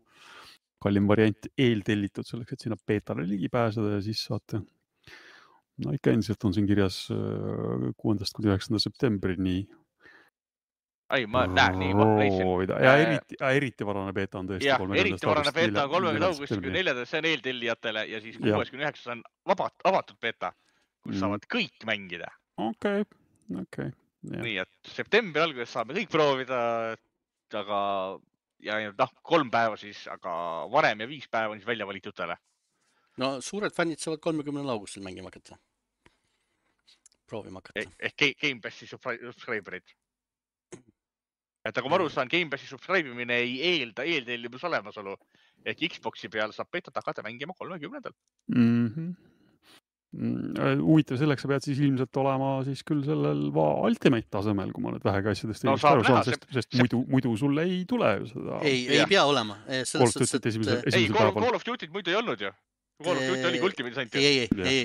kallim variant eeltellitud selleks, et sinna beetale ligi pääseda ja siis saate. No ikka endiselt on siin kirjas kuuendast kuni üheksanda septembrini. Ai, ma näen nii, ma leidsin. Ja eriti, eriti varane beeta on tõesti. Ja, eriti varane beeta on kolmekümnendal augustil kuni neljandal, see on eeltellijatele ja siis kuues kuni üheksas on vabat, avatud beeta, kus mm. saavad kõik mängida. Okei, okay. okei. Okay. Nii, et septembri alguses saame kõik proovida, aga ja noh, kolm päeva siis, aga varem ja viis päeva on siis välja valitutele. No suured fännid saavad kolmekümnendal augustil mängima hakata. Proovima hakata. Ehk Game Passi subscriberid. Et aga ma aru saan, Game Passi subscribe'imine ei eelda eeltellimus olemasolu. Ehk Xboxi peal saab beetat hakata mängima kolmekümnendal. Mm-hmm. Huvitav, selleks sa pead siis ilmselt olema siis küll sellel Ultimate tasemel, kui ma nüüd vähega asjadest no, aru saan, sest, sest, sest muidu, muidu sulle ei tule seda. Ei, ei pea olema. Call of Duty esimesel, esimesel ei, päeval. Call of Duty't muidu ei olnud ju. Call of Duty oli Ultimate ainult. Ei, ei, ei.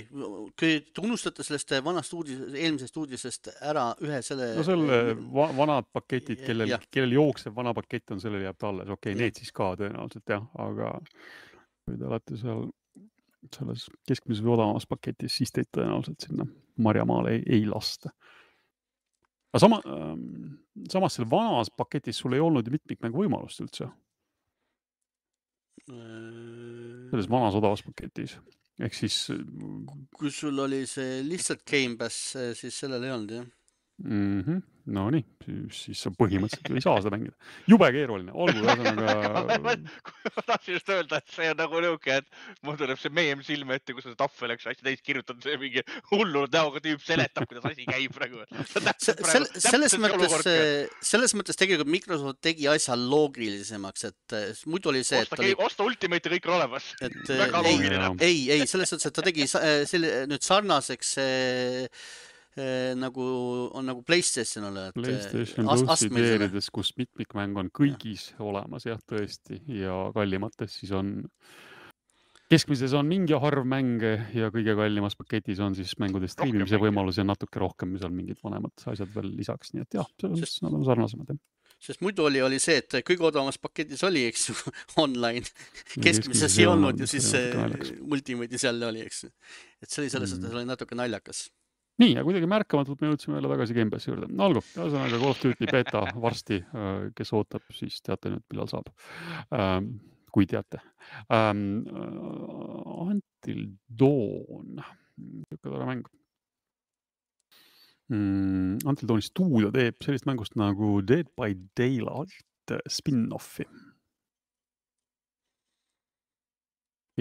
Kui te unustate sellest vanast uudis, eelmisest uudisest ära ühe selle... No selle vanad paketid, kellel, kellel jookseb vana pakett on, sellele jääb talle. Okei, okay, need siis ka tõenäoliselt, jah. Aga kui te olete seal selles keskmises või odavamas paketis, siis teid tõenäoliselt sinna Marjamaale ei, ei lasta. Aga sama, samas selle vanas paketis sul ei olnud ju mitmikmängu võimalust üldse. Selles vanas odavas paketis. ehk siis kui sul oli see lihtsalt Game Pass, siis sellel ei olnud, jah? Mm-hmm. No nii, siis sa põhimõtteliselt ei saa seda mängida. Jube keeruline, olgu ühesõnaga. ma tahtsin just öelda, et see on nagu nõuke, et mul tuleb see meem silme ette, kus on tahvel, eks hästi täis kirjutatud, see mingi hullult näoga tüüp seletab, kuidas asi käib praegu. Sel, selles, mõttes, selles mõttes tegelikult Microsoft tegi asja loogilisemaks, et muidu oli see, osta, et oli... osta Ultimate'i kõik olemas. Et, ei, ei, ei, selles mõttes, et ta tegi selle, nüüd sarnaseks nagu on nagu PlayStationile. PlayStation Plussi teerides, kus mitmikmäng on kõigis ja. olemas, jah, tõesti, ja kallimates siis on, keskmises on mingi harv mänge ja kõige kallimas paketis on siis mängude streamimise võimalus ja natuke rohkem, mis on mingid vanemad asjad veel lisaks, nii et jah, selles mõttes nad on sarnasemad. Sest muidu oli, oli see, et kõige odavamas paketis oli, eks ju, online, keskmises ei olnud ja siis Ultimate'i seal oli, eks ju. Et see oli selles, et see oli natuke naljakas. Nii, ja kuidagi märkamatult me jõudsime jälle tagasi Game Passi juurde. No, olgu, ühesõnaga Call of Duty beta varsti, kes ootab, siis teate nüüd, millal saab. Ähm, kui teate. Ähm, Until Dawn, niisugune tore mäng. Mm, Until Dawni stuudio teeb sellist mängust nagu Dead by Daylight spin-offi.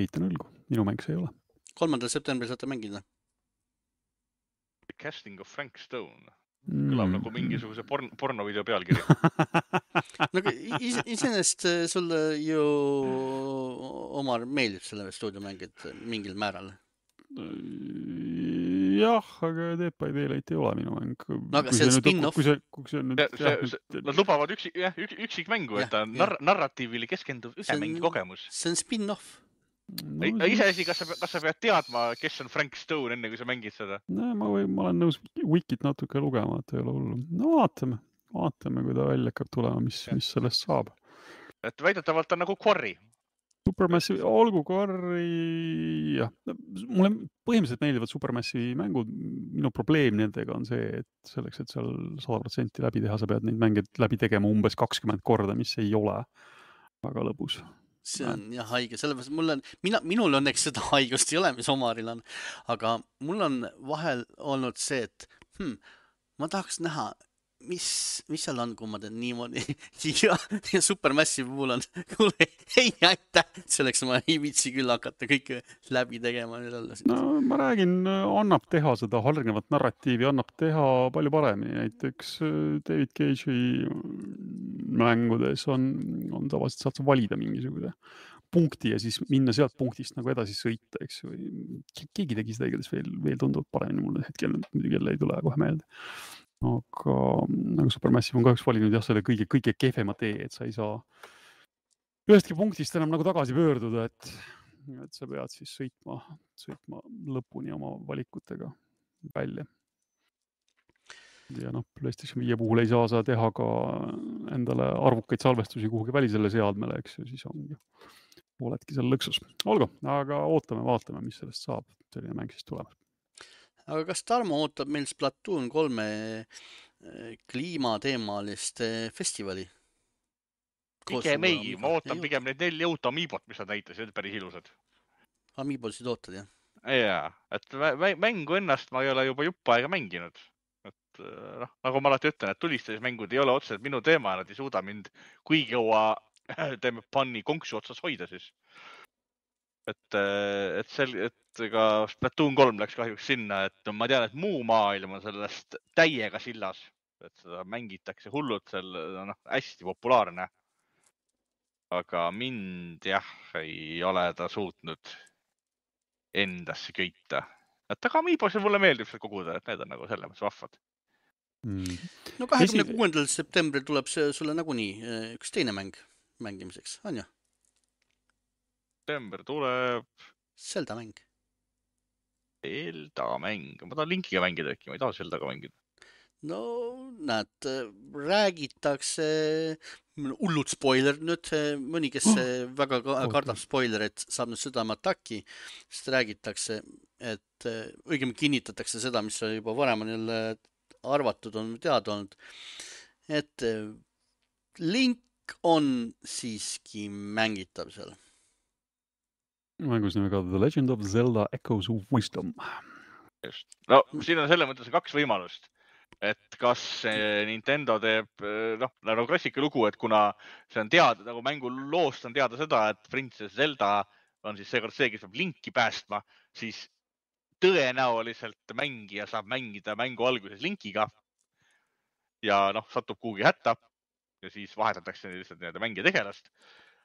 Eitan õlgu, minu mäng see ei ole. kolmandal septembril saate mängida. Casting of Frank Stone. Kõlab mm. nagu mingisuguse porn, pornovideo pealkiri. Nagu is, iseenest sulle ju Omar meeldib selle stuudiomängid mingil määral. Jah, aga Dead by Daylight ei ole minu mäng. No aga see on spin-off. Kui see, kui see nüüd, see, jah, see, nad lubavad üksik, jah, üksik mängu, et ta nar narratiivile keskenduv ühe mängi kogemus. See on spin-off. No, iseasi, kas sa, kas sa pead teadma, kes on Frank Stone enne, kui sa mängid seda? No, ma, või, ma olen nõus Wikit natuke lugema, et ei ole hullu. No vaatame, vaatame, kui ta välja hakkab tulema, mis, mis sellest saab. Et väidetavalt on nagu Quarry. Supermassive, olgu Quarry, jah. Mulle põhimõtteliselt meeldivad Supermassive mängud. Minu probleem nendega on see, et selleks, et seal sada protsenti läbi teha, sa pead neid mänge läbi tegema umbes kakskümmend korda, mis ei ole väga lõbus. See on jah haige, sellepärast mul on, mina, minul õnneks seda haigust ei ole, mis Omaril on, aga mul on vahel olnud see, et hmm, ma tahaks näha, mis, mis seal on, kui ma teen niimoodi ja, ja Supermassive puhul on, kuule, ei aitäh, selleks ma ei vitsi küll hakata kõike läbi tegema. No ma räägin, annab teha seda hargnevat narratiivi, annab teha palju paremini, näiteks David Cage'i mängudes on, on tavaliselt saad sa valida mingisuguse punkti ja siis minna sealt punktist nagu edasi sõita, eks ju. Keegi tegi seda igatahes veel, veel tundub paremini mulle hetkel, muidugi jälle ei tule kohe meelde. Aga nagu Supermassive on kahjuks valinud jah, selle kõige, kõige kehvema tee, et sa ei saa ühestki punktist enam nagu tagasi pöörduda, et, et sa pead siis sõitma, sõitma lõpuni oma valikutega välja. Ja noh, PlayStation viie puhul ei saa sa teha ka endale arvukaid salvestusi kuhugi välisele seadmele, eks ju, siis ongi, oledki seal lõksus. Olgu, aga ootame, vaatame, mis sellest saab, selline mäng siis tuleb. Aga kas Tarmo ootab meil Splatoon kolme kliimateemalist festivali? Pigem ei, ma ootan ei pigem need neli jõuta Amiibot, mis nad näitasid, päris ilusad. Amiibosid ootad, jah? Jaa, et mängu ennast ma ei ole juba juppa aega mänginud. Et, no, nagu ma alati ütlen, et tulistusmängud ei ole otseselt minu teema, nad ei suuda mind kuigi jõua teeme panni konksu otsas hoida siis. Et, et, sel, et ka Splatoon kolm läks kahjuks sinna, et ma tean, et muu maailm on sellest täiega sillas, et seda mängitakse hullult, seal no, hästi populaarne. Aga mind jah, ei ole ta suutnud endasse köita. Et aga Amiibos mulle meeldib seda koguda, et need on nagu selles mõttes vahvad. Mm. No kahekümne kuuendal septembril tuleb see sulle nagunii üks teine mäng mängimiseks, on ju? September tuleb... Zelda mäng. Zelda mäng. Ma tahan Linkiga mängida äkki, ma ei taha Zeldaga mängida. No näed, räägitakse, hullud spoiler nüüd, mõni, kes väga kardab spoilerit, saab nüüd südameataki, sest räägitakse, et õigemini kinnitatakse seda, mis juba varem on jälle arvatud, on teada olnud, et Link on siiski mängitav seal. Mängus nimega The Legend of Zelda Echoes of Wisdom. Just. No siin on selle mõttes kaks võimalust, et kas Nintendo teeb, noh, nagu klassika lugu, et kuna see on teada, nagu mängu loost on teada seda, et Princess Zelda on siis seekord see, kes peab Linki päästma, siis tõenäoliselt mängija saab mängida mängu alguses Linkiga ja noh, satub kuhugi hätta ja siis vahetatakse lihtsalt nii-öelda mängija tegelast.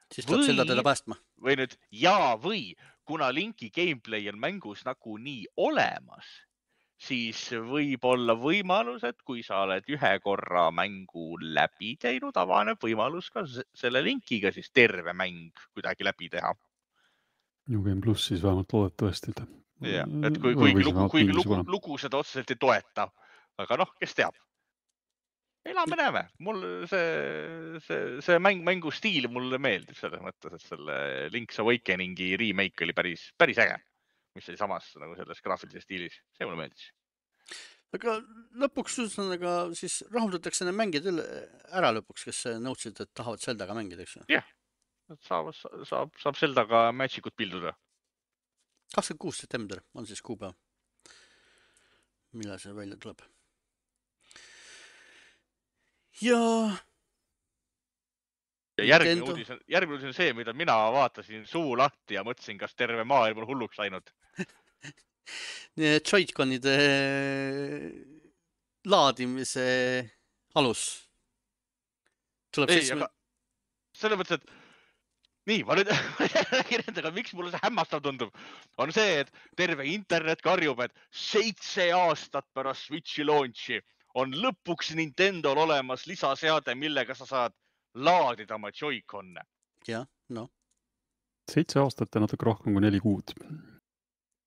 Siis tuleb Zelda teda päästma. Või nüüd, jaa, või kuna Linki gameplay on mängus nagu nii olemas, siis võib olla võimalus, et kui sa oled ühe korra mängu läbi teinud, avaneb võimalus ka selle Linkiga siis terve mäng kuidagi läbi teha. New Game Plus siis vähemalt loodetavasti. Ja, et kui, kuigi lugu, kuigi lugu, lugu seda otseselt ei toeta. Aga noh, kes teab? Elame näeme. Mul see, see, see mäng, mängu stiil mulle meeldib selles mõttes, et selle Link's Awakeningi remake oli päris, päris äge, mis oli samas nagu selles graafilises stiilis. See mulle meeldis. Aga lõpuks aga siis rahuldatakse need mängid ära lõpuks, kes nõudsid, et tahavad Zeldaga mängida, eks? Jah, saab, saab, saab Zeldaga Magicut pilduda. kakskümmend kuus september on siis kuupäev. Millal see välja tuleb? Ja... ja järgmine uudis, on, järgmine uudis on see, mida mina vaatasin suu lahti ja mõtlesin, kas terve maailm on hulluks läinud. Joy-Conide laadimise alus. Tuleb Ei, siis... aga selle mõttes, et nii, ma nüüd räägin endaga, miks mulle see hämmastav tundub, on see, et terve internet karjub, et seitse aastat pärast Switchi launchi on lõpuks Nintendol olemas lisaseade, millega sa saad laadida oma Joy-Conne. Jah, no. Seitse aastat ja natuke rohkem kui neli kuud.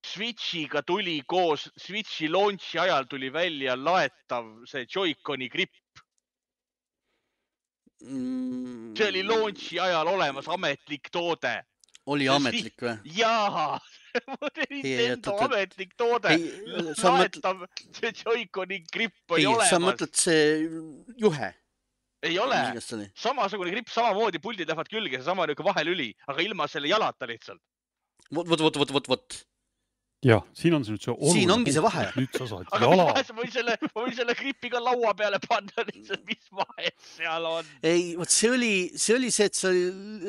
Switchiga tuli koos, Switchi launchi ajal tuli välja laetav see Joy-Coni gripp. Mm. See oli launchi ajal olemas ametlik toode. Oli see ametlik või? Jaa, Nintendo ametlik toode. Laetav see Joy-Coni gripp oli ei, olemas. Sa mõtled see juhe? Ei ole. Samasugune gripp, samamoodi puldid lähevad külge, see sama niuke vahelüli, aga ilma selle jalata lihtsalt. Vot, vot, vot, vot, vot, vot. Jah, siin on see nüüd see oluline. Siin ongi see vahe. Nüüd sa saad aga jala. Aga ma võin selle, ma võin selle gripiga laua peale panna, lihtsalt, mis vahet seal on. Ei, vot see oli see, oli see et, see,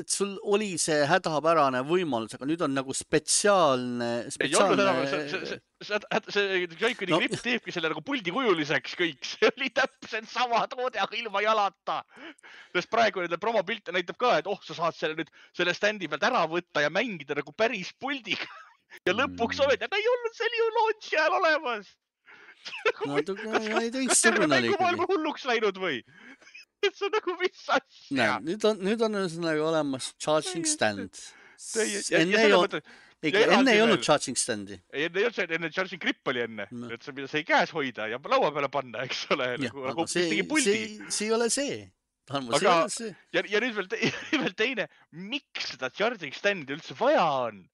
et sul oli see hädapärane võimalus, aga nüüd on nagu spetsiaalne... spetsiaalne... Ei olnud, see, see, see, see Joy-Coni no. gripp teebki selle nagu puldikujuliseks kõik. See oli täpselt sama toode, aga ilma jalata. Sest praegu nende promopilte näitab ka, et oh, sa saad selle nüüd selle standi pealt ära võtta ja mängida nagu päris puldiga. Ja lõpuks oled, aga ei olnud see ju launchi ajal olemas. No, ei teistsugune oli ikkagi. Mängu hulluks läinud või? See on nagu mis asja. Näe, nüüd on, nüüd on nagu olemas charging stand. Enne ei olnud, enne ei olnud charging standi. Ei, enne ei olnud, enne charging grip oli enne. Et sa mida sai käes hoida ja laua peale panna, eks ole. Aga see ei ole see. Ja nüüd veel teine, miks seda charging standi üldse vaja on?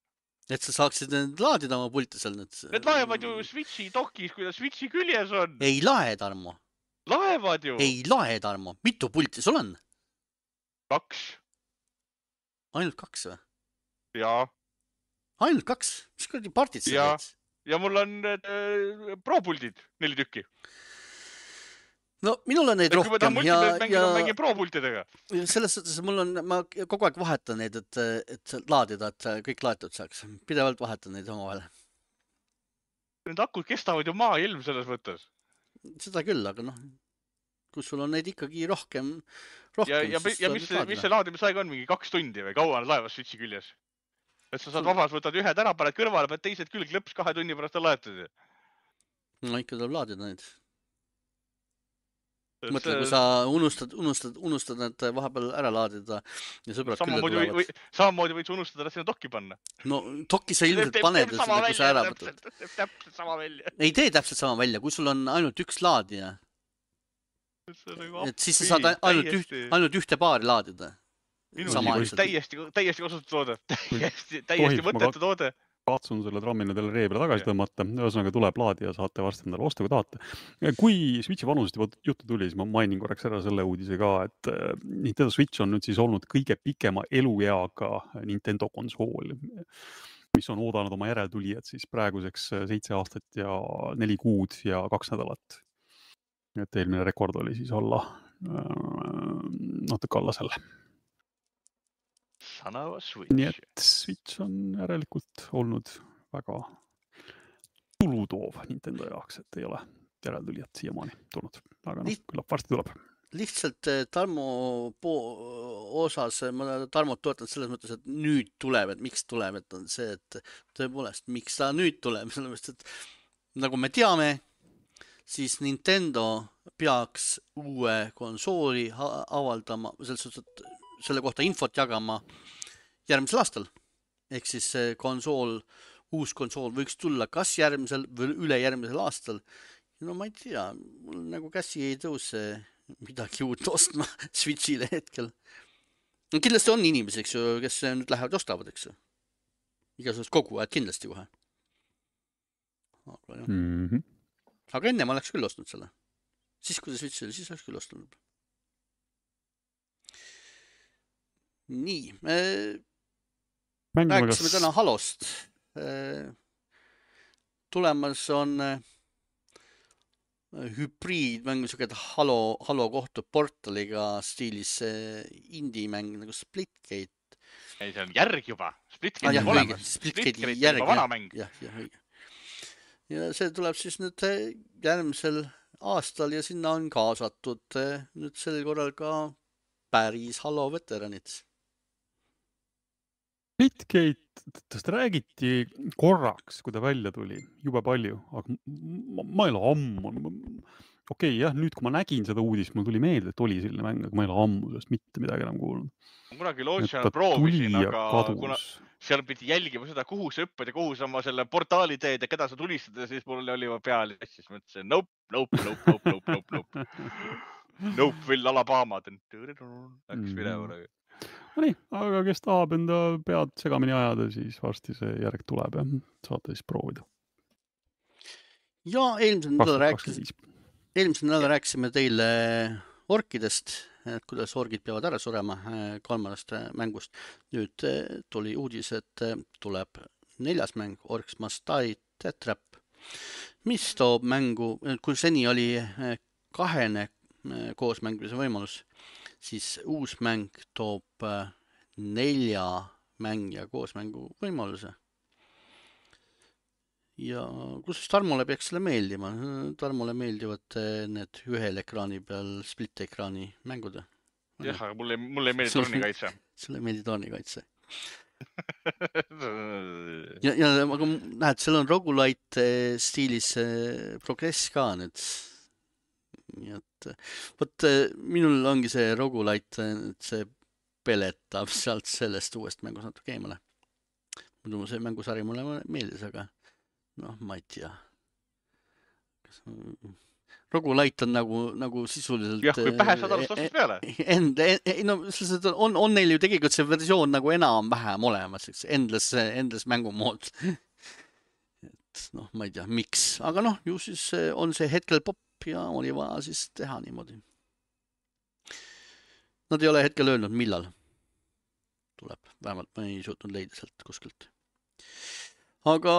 Et sa saaksid need laadida oma pulte seal nüüd. Need laevad ju Switchi dokis, kui ta Switchi küljes on. Ei lae, Tarmo. Laevad ju. Ei lae, Tarmo. Mitu pulti sul on? Kaks. Ainult kaks või? Jaa. Ainult kaks? Mis kuradi partid sa teed? Ja mul on äh, pro-puldid, neli tükki. No minul on neid et rohkem. Kui ma tahan multimees mängida, ja... mängin pro-pultidega. Selles suhtes mul on, ma kogu aeg vahetan neid, et, et laadida, et kõik laetud saaks. Pidevalt vahetan neid oma vahel. Need akud kestavad ju maa ilm selles mõttes. Seda küll, aga noh, kui sul on neid ikkagi rohkem, rohkem ja, ja, ja mis, mis see laadimisaeg on? Mingi kaks tundi või kaua on laevas Switchi küljes? Et sa saad vabas, võtad ühed ära, paned kõrvale, paned teised külg lõps kahe tunni pärast on laetud. No ikka tuleb laadida neid. Mõtle, kui sa unustad, unustad, unustad need vahepeal ära laadida ja sõbrad külla tulevad. Või, samamoodi võid unustada, et sinna dokki panna. No dokki sa ilmselt paned ja seda, kui sa ära võtad. Teeb täpselt sama välja. Ei tee täpselt sama välja, kui sul on ainult üks laadija. Et siis sa saad ainult, üht, ainult ühte paari laadida. Minu täiesti, täiesti kasutu toode. Täiesti, täiesti mõttetu toode. katsun selle trammina teile ree peale tagasi tõmmata, ühesõnaga tuleb laadi ja saate varsti endale osta, kui tahate. Kui Switchi vanusest juba juttu tuli, siis ma mainin korraks ära selle uudise ka, et Nintendo Switch on nüüd siis olnud kõige pikema elueaga Nintendo konsool, mis on oodanud oma järeltulijad siis praeguseks seitse aastat ja neli kuud ja kaks nädalat. Et eelmine rekord oli siis alla natuke alla selle. Sanava Switch. Nii et Switch on järelikult olnud väga tulutoov Nintendo jaoks, et ei ole järeltulijat siiamaani tulnud. Aga noh, küllap varsti tuleb. Lihtsalt Tarmo osas, ma Tarmot toetan selles mõttes, et nüüd tuleb, et miks tuleb, et on see, et tõepoolest, miks ta nüüd tuleb, sellepärast, et nagu me teame, siis Nintendo peaks uue konsooli avaldama, selles suhtes, et selle kohta infot jagama järgmisel aastal. Ehk siis konsool, uus konsool võiks tulla kas järgmisel või üle järgmisel aastal. No ma ei tea, mul nagu käsi ei tõuse midagi uut ostma Switchile hetkel. No, kindlasti on inimesi, eks ju, kes nüüd lähevad ostavad, eks ju. Igasugust kogu aeg kindlasti kohe. Aga, mm -hmm. Aga enne ma oleks küll ostnud selle. Siis, kui see Switch oli, siis oleks küll ostnud. Nii. Me rääkisime täna Halost. Tulemas on hübriidmäng, niisugune Halo, Halo kohtub portaliga stiilis indie-mäng nagu Splitgate. Ei, see on järg juba. Splitgate ah, jah, on olemas. Splitgate järg. Juba vana mäng. Jah, jah, õige. Ja see tuleb siis nüüd järgmisel aastal ja sinna on kaasatud nüüd sel korral ka päris Halo veteranid. Splitgate, tast räägiti korraks, kui ta välja tuli, jube palju, aga ma, ma ei ole ammu. Okei, okay, jah, nüüd kui ma nägin seda uudist, mul tuli meelde, et oli selline mäng, aga ma ei ole ammu sellest mitte midagi enam kuulnud. Ma kunagi launch'ina proovisin, aga kuna seal pidi jälgima seda, kuhu sa õppad ja kuhu sa oma selle portaali teed ja keda sa tulistad ja siis mul oli juba peal ja siis mõtlesin, nope, nope, nope, nope, nope, nope, nope. Nope, Will Alabama. Läks minema. No nii, aga kes tahab enda pead segamini ajada, siis varsti see järg tuleb ja saate siis proovida. Ja eelmisel nädal rääkis, eelmisel nädal rääkisime teile orkidest, et kuidas orgid peavad ära surema kolmandast mängust. Nüüd tuli uudis, et tuleb neljas mäng, Orcs Must Die Death Trap, mis toob mängu, kui seni oli kahene koos mängimise võimalus, siis uus mäng toob nelja mängija koosmängu võimaluse. Ja kus Tarmole peaks selle meeldima? Tarmole meeldivad need ühel ekraani peal split-ekraani mängud. Jah, aga mulle, mulle ei meeldi tornikaitse. Sulle ei meeldi tornikaitse. ja, ja aga näed, seal on roguelite stiilis progress ka nüüd. Nii et, võt, minul ongi see roguelite, see peletab sealt sellest uuest mängust natuke eemale. Muidu see mängusari mulle meeldis, aga noh, ma ei tea. Roguelite on nagu, nagu sisuliselt... Jah, kui pähe saad alust ostust peale. End, no, on, on neil ju tegelikult see versioon nagu enam vähem olemas, endless, endless mängumood. Et noh, ma ei tea, miks. Aga noh, ju siis on see hetkel pop ja oli vaja siis teha niimoodi. Nad ei ole hetkel öelnud, millal tuleb. Vähemalt ma ei suutnud leida sealt kuskilt. Aga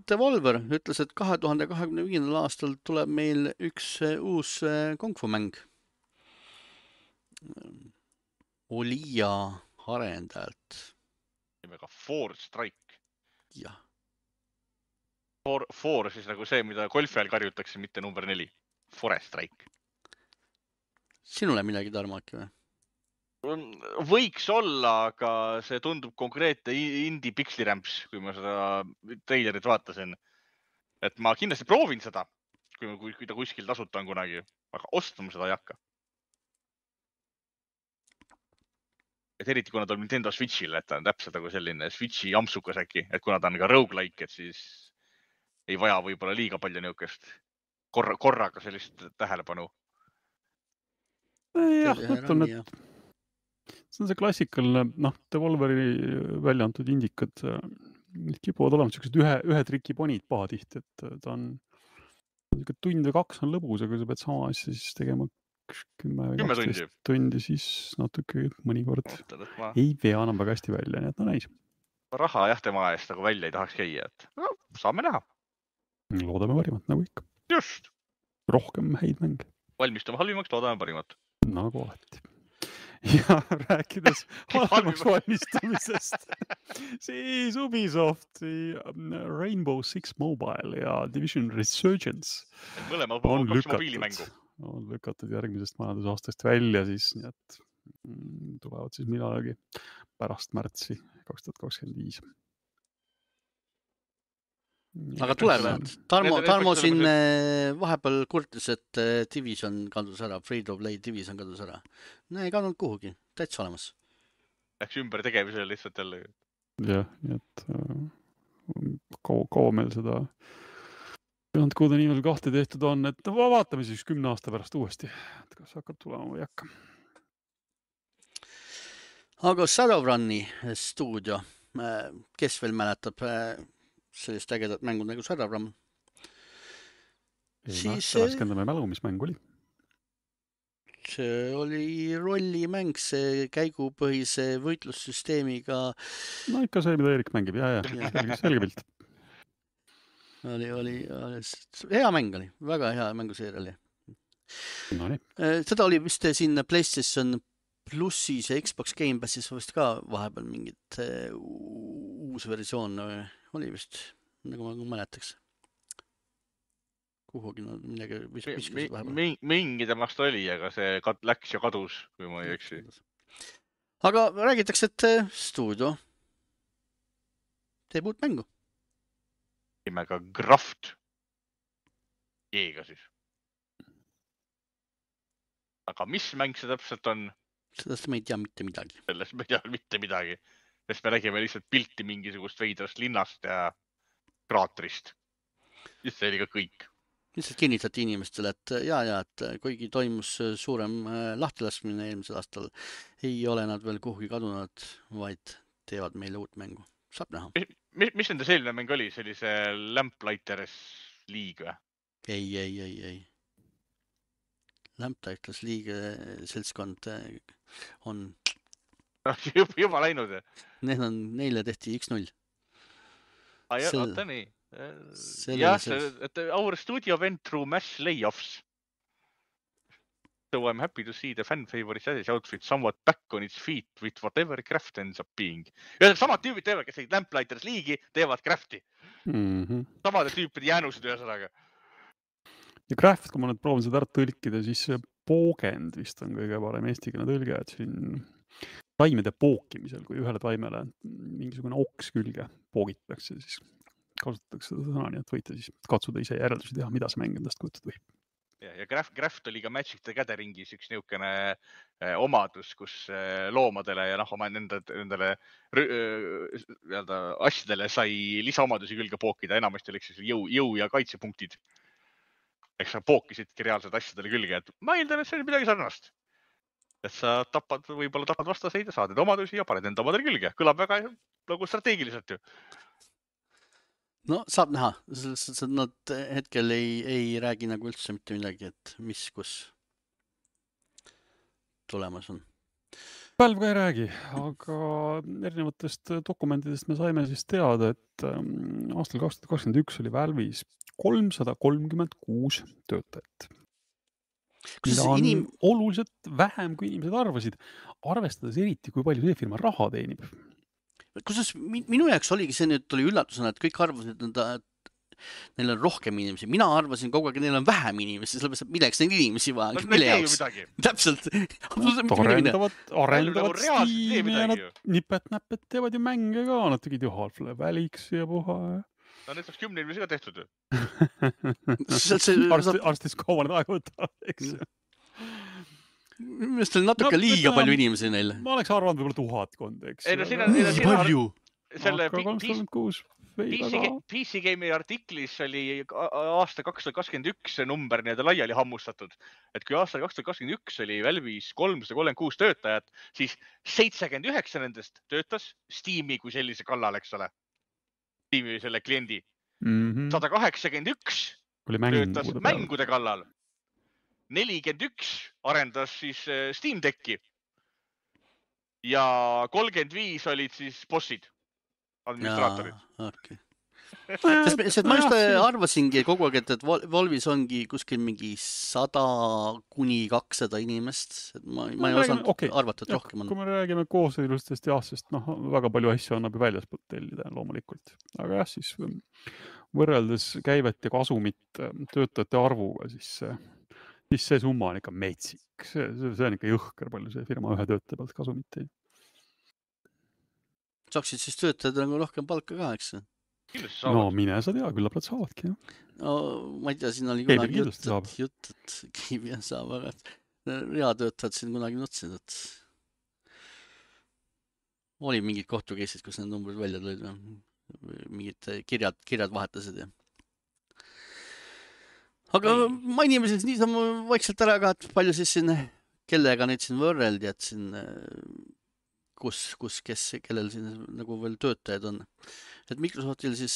Devolver ütles, et kahe tuhande kahekümne viiendal aastal tuleb meil üks uus Kung Fu mäng. Olija arendajalt. Nimega Four Strike. Jah. Four, four siis nagu see, mida golfi ajal karjutakse, mitte number neli. Forest Strike. Sinule midagi tarmaki või? Võiks olla, aga see tundub konkreetne indie pixliramps, kui ma seda trailerit vaatasin. Et ma kindlasti proovin seda, kui, kui, kui ta kuskil tasuta on kunagi, aga ostma seda ei hakka. Et eriti kuna ta on Nintendo Switchil, et ta on täpselt nagu selline Switchi jamsukas äkki, et kuna ta on ka roguelike, et siis ei vaja võib-olla liiga palju niukest korra, korraga sellist tähelepanu. Jah, mõtlen, et see on see klassikaline, noh, Devolveri välja antud indikad, kipuvad olema sellised ühe, ühe triki ponid pahatihti, et ta on tund või kaks on lõbus, aga sa pead sama asja siis tegema kümme või kaksteist tundi, siis natuke mõnikord ma... ei vea enam väga hästi välja, nii et no näis. Raha jah tema eest nagu välja ei tahaks käia, et no, saame näha. Loodame parimat, nagu ikka. Just. Rohkem häid mänge. Valmistume halvimaks, loodame parimat. Nagu alati. Ja rääkides halvemaks valmistumisest, siis Ubisofti Rainbow Six Mobile ja Division Resurgence Mõlema on kaks lükatud, mobiilimängu. On lükatud järgmisest majandusaastast välja, siis nii et tulevad siis millalgi pärast märtsi kaks tuhat kakskümmend viis. Aga tulevad. Tarmo, Tarmo siin vahepeal kurtis, et Division kadus ära, Free to Play Division kadus ära. No ei kadunud kuhugi, täitsa olemas. Läks ümber tegemisele lihtsalt jälle. Jah, nii et kaua, kaua meil seda Beyond Good and Evil kahte tehtud on, et vaatame siis kümne aasta pärast uuesti, et kas hakkab tulema või hakka. Aga Shadowrunni stuudio, kes veel mäletab sellist ägedat mängu nagu Shadowrun? Ei, siis ma raskendame mälu, mis mäng oli? See oli rollimäng, see käigupõhise võitlussüsteemiga. No ikka see, mida Eerik mängib, ja, ja, selge, selge pilt. Oli, oli, oli, hea mäng oli, väga hea mänguseeria oli. No nii. Seda oli vist siin PlayStation Plussis ja Xbox Game Passis vist ka vahepeal mingit uus versioon oli vist, nagu ma mäletaks. Kuhugi no, midagi viskasid vahepeal. Mingi temast oli, aga see läks ja kadus, kui ma ei eksi. Aga räägitakse, et stuudio teeb uut mängu. Nimega Graft. Jeega siis. Aga mis mäng see täpselt on? Sellest me ei tea mitte midagi. Sellest me ei tea mitte midagi. Sest me räägime lihtsalt pilti mingisugust veidrast linnast ja kraatrist. Just see oli ka kõik. Lihtsalt kinnitati inimestele, et ja, ja, et kuigi toimus suurem lahtilaskmine eelmisel aastal, ei ole nad veel kuhugi kadunud, vaid teevad meile uut mängu. Saab näha. Mis, mis nende selline mäng oli? See oli see Lamplighters League või? Ei, ei, ei, ei. Lamplighters League seltskond on... Juba, juba läinud. Need on, neile tehti üks null. Ah, jah, Sel... oota nii. Jah, et our studio went through mass layoffs. So I'm happy to see the fan favorite Assassin's outfit somewhat back on its feet with whatever craft ends up being. Ja samad tüübid teevad, kes tegid Lamplighters League'i, teevad crafti. Mm-hmm. Samade tüüpide jäänusid ühesõnaga. Ja craft, kui ma nüüd proovin seda ära tõlkida, siis poogend vist on kõige parem eestikeelne tõlge, et siin taimede pookimisel, kui ühele taimele mingisugune oks külge poogitakse, siis kasutatakse seda sõna, nii et võite siis katsuda ise järeldusi teha, mida see mäng endast kujutada võib. Ja, ja Graft, Graft oli ka Magic the Gatheringis üks niisugune eh, omadus, kus eh, loomadele ja noh, oma nende, nendele äh, asjadele sai lisaomadusi külge pookida, enamasti oli siis jõu, jõu ja kaitsepunktid. Eks sa pookisidki reaalselt asjadele külge, et ma eeldan, et see oli midagi sarnast. Et sa tapad, võib-olla tapad vastaseid ja saad need omadusi ja paned enda omadele külge. Kõlab väga nagu strateegiliselt ju. No saab näha, nad hetkel ei, ei räägi nagu üldse mitte midagi, et mis, kus tulemas on. Valve ka ei räägi, aga erinevatest dokumentidest me saime siis teada, et aastal kaks tuhat kakskümmend üks oli Valve'is kolmsada kolmkümmend kuus töötajat. Mida on inim... oluliselt vähem, kui inimesed arvasid, arvestades eriti, kui palju see firma raha teenib. Kusjuures minu jaoks oligi see nüüd tuli üllatusena, et kõik arvasid, et neil on rohkem inimesi. Mina arvasin kogu aeg, et neil on vähem inimesi, sellepärast, et milleks neil inimesi vaja. No, mille jaoks? Täpselt. Arendavad, arendavad Steam'i ja nad nipet-näpet teevad ju mänge ka. Nad tegid ju Half-Life Alyxi ja puha. No need oleks kümne inimesi ka tehtud ju. Arstis kaua need aega võtta, eks ju. Minu meelest oli natuke no, liiga palju inimesi neile. Ma oleks arvanud võib-olla tuhatkond, eks. Ei, no siin on, siin on palju. Selle P C Game'i artiklis oli aasta kaks tuhat kakskümmend üks number nii-öelda laiali hammustatud. Et kui aasta kaks tuhat kakskümmend üks oli Valve'is kolmsada kolmkümmend kuus töötajat, siis seitsekümmend üheksa nendest töötas Steam'i kui sellise kallal, eks ole. tiimi selle kliendi. Mhm. sada kaheksakümmend üks Oli töötas mängude peal. mängude kallal. nelikümmend üks arendas siis Steam Decki. Ja kolmkümmend viis olid siis bossid, administraatorid. Jaa, okei. Sest, sest ma just arvasingi kogu aeg, et, et Valvis ongi kuskil mingi sada kuni kakssada inimest. Et ma, ma ei osanud okay. arvata, et ja, rohkem on. Kui me räägime kooselustest ja sest noh, väga palju asju annab ju väljaspoolt tellida loomulikult. Aga jah, siis võrreldes käivet ja kasumit töötajate arvuga, siis see, siis see summa on ikka metsik. See, see on ikka jõhker palju see firma ühe töötaja pealt kasumit ei. Saaksid siis töötajad nagu rohkem palka ka, eks? No mine sa tea, küllap nad saavadki. Ja. No ma ei tea, siin oli kunagi jutt, et, jutt, et Keivia saab, aga reatöötajad siin kunagi nutsid, et oli mingid kohtukeisid, kus need numbrid välja tulid, mingid kirjad, kirjad vahetasid. Ja. Aga mainime siis niisama vaikselt ära ka, et palju siis siin, kellega neid siin võrreldi, et siin kus, kus, kes, kellel siin nagu veel töötajad on. Et Microsoftil siis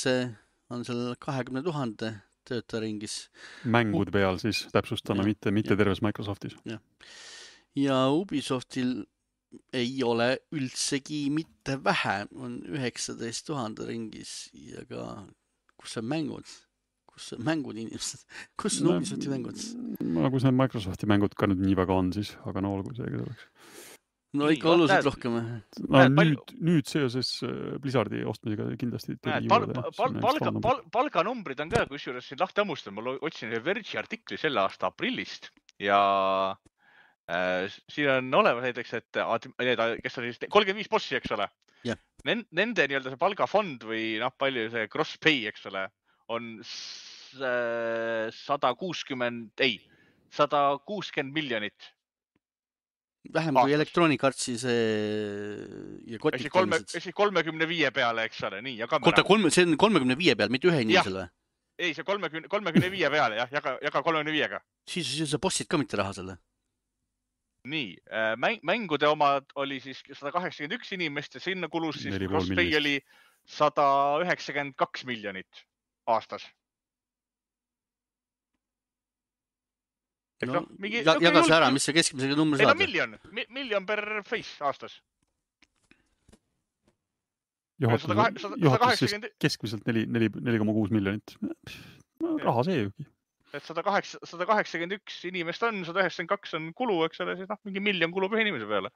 on seal kahekümne tuhande töötaja ringis. Mängud peal siis täpsustame, ja, mitte, mitte ja. Terves Microsoftis. Ja. ja Ubisoftil ei ole üldsegi mitte vähe, on üheksateist tuhande ringis ja ka, kus on mängud? Kus on mängud inimesed? Kus on no, Ubisofti mängud? No kus need Microsofti mängud ka nüüd nii väga on siis, aga no olgu see, kes oleks. No ikka oluliselt rohkem. No, nüüd, nüüd seoses Blizzardi ostmisega kindlasti näed, pal, pal, palga, pal, palganumbrid on ka, kus juures siin lahti ammustan. Ma otsin Verge'i artikli selle aasta aprillist ja äh, siin on olemas näiteks, et need, kes on siis kolmkümmend viis bossi, eks ole. Yeah. Nende nii-öelda see palgafond või noh, palju see cross pay, eks ole, on sada kuuskümmend, ei, sada kuuskümmend miljonit. Vähem kui Electronic Artsi see ja kotik teenised. Esi kolmekümne viie peale, eks ole, nii, ja kamera. Kota, kolme, see on kolmekümne viie peal, mitte ühe inimesele? Ei, see kolmekümne, kolmekümne viie peale, jah, jaga, jaga kolmekümne viiega. Siis, siis sa bossid ka mitte raha selle? Nii, mäng, mängude omad oli siis sada kaheksakümmend üks inimest ja sinna kulus siis Crosspay oli sada üheksakümmend kaks miljonit aastas. No, no, mingi, ja, jaga see ära, mis see keskmisega number saada? Ei no miljon, miljon per face aastas. Juhatus siis keskmiselt neli koma kuus miljonit. No, raha see jugi. Et sada kaheksakümmend üks inimest on, sada üheksakümmend kaks on kulu, eks ole, siis noh, mingi miljon kulub ühe inimese peale.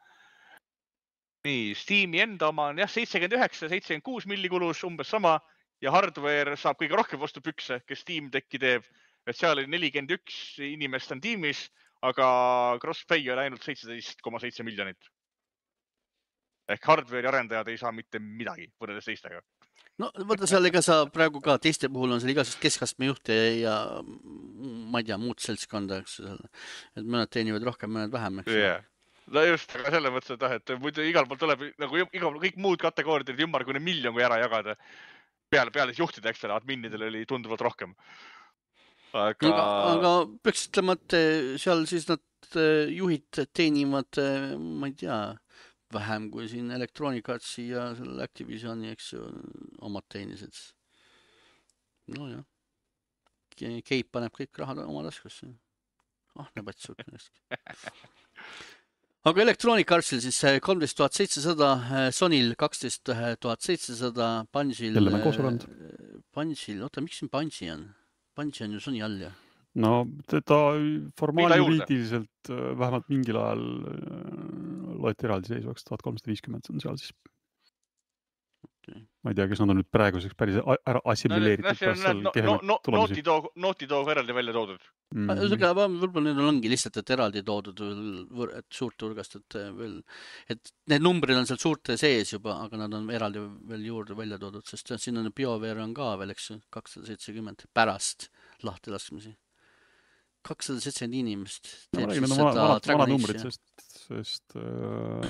Nii, Steam'i enda oma on jah, seitsekümmend üheksa, seitsekümmend kuus milli kulus, umbes sama ja hardware saab kõige rohkem vastu pükse, kes Steam Decki teeb. Et seal oli nelikümmend üks inimest on tiimis, aga Crosspay oli ainult seitseteist koma seitse miljonit. Ehk hardware arendajad ei saa mitte midagi võrreldes teistega. No võtta seal ega sa praegu ka teiste puhul on seal igasugust keskastme juhte ja ma ei tea, muud seltskonda, eks seal. Et mõned teenivad rohkem, mõned vähem, eks. Yeah. No just, aga selle mõttes, et, et muidu igal pool tuleb nagu igal, kõik muud kategooriad ümber kuni miljon kui ära jagada. Peale, peale juhtida, eks selle adminnidel oli tunduvalt rohkem. Aga... Aga, aga peaks ütlema, et seal siis nad juhid teenivad, ma ei tea, vähem kui siin Electronic Artsi ja selle Activisioni, eks ju, omad teenised. No jah. Keip paneb kõik rahad oma taskusse. Ah, näeb, et suurt millestki. Aga Electronic Artsil siis kolmteist tuhat seitsesada, Sonyl kaksteist tuhat seitsesada, Bungil... Jälle mängu osurand. Bungil, oota, miks siin Bungi on? Bungi on ju Sony all, jah? No, ta formaaljuriidiliselt vähemalt mingil ajal loeti eraldi seisvaks, tuhat kolmsada viiskümmend on seal siis. Okay. Ma ei tea, kes nad on nüüd praeguseks päris ära assimileeritud. No, Naughty Dog eraldi välja toodud. Mm-hmm. Võib-olla need ongi lihtsalt, et eraldi toodud et suurt hulgast, et, veel, et need numbrid on seal suurte sees juba, aga nad on eraldi veel juurde välja toodud, sest siin on BioWare on ka veel, eks kakssada seitsekümmend pärast lahti laskmisi. kakssada seitsekümmend inimest teeb no, siis seda vana numbrid, sest, sest äh,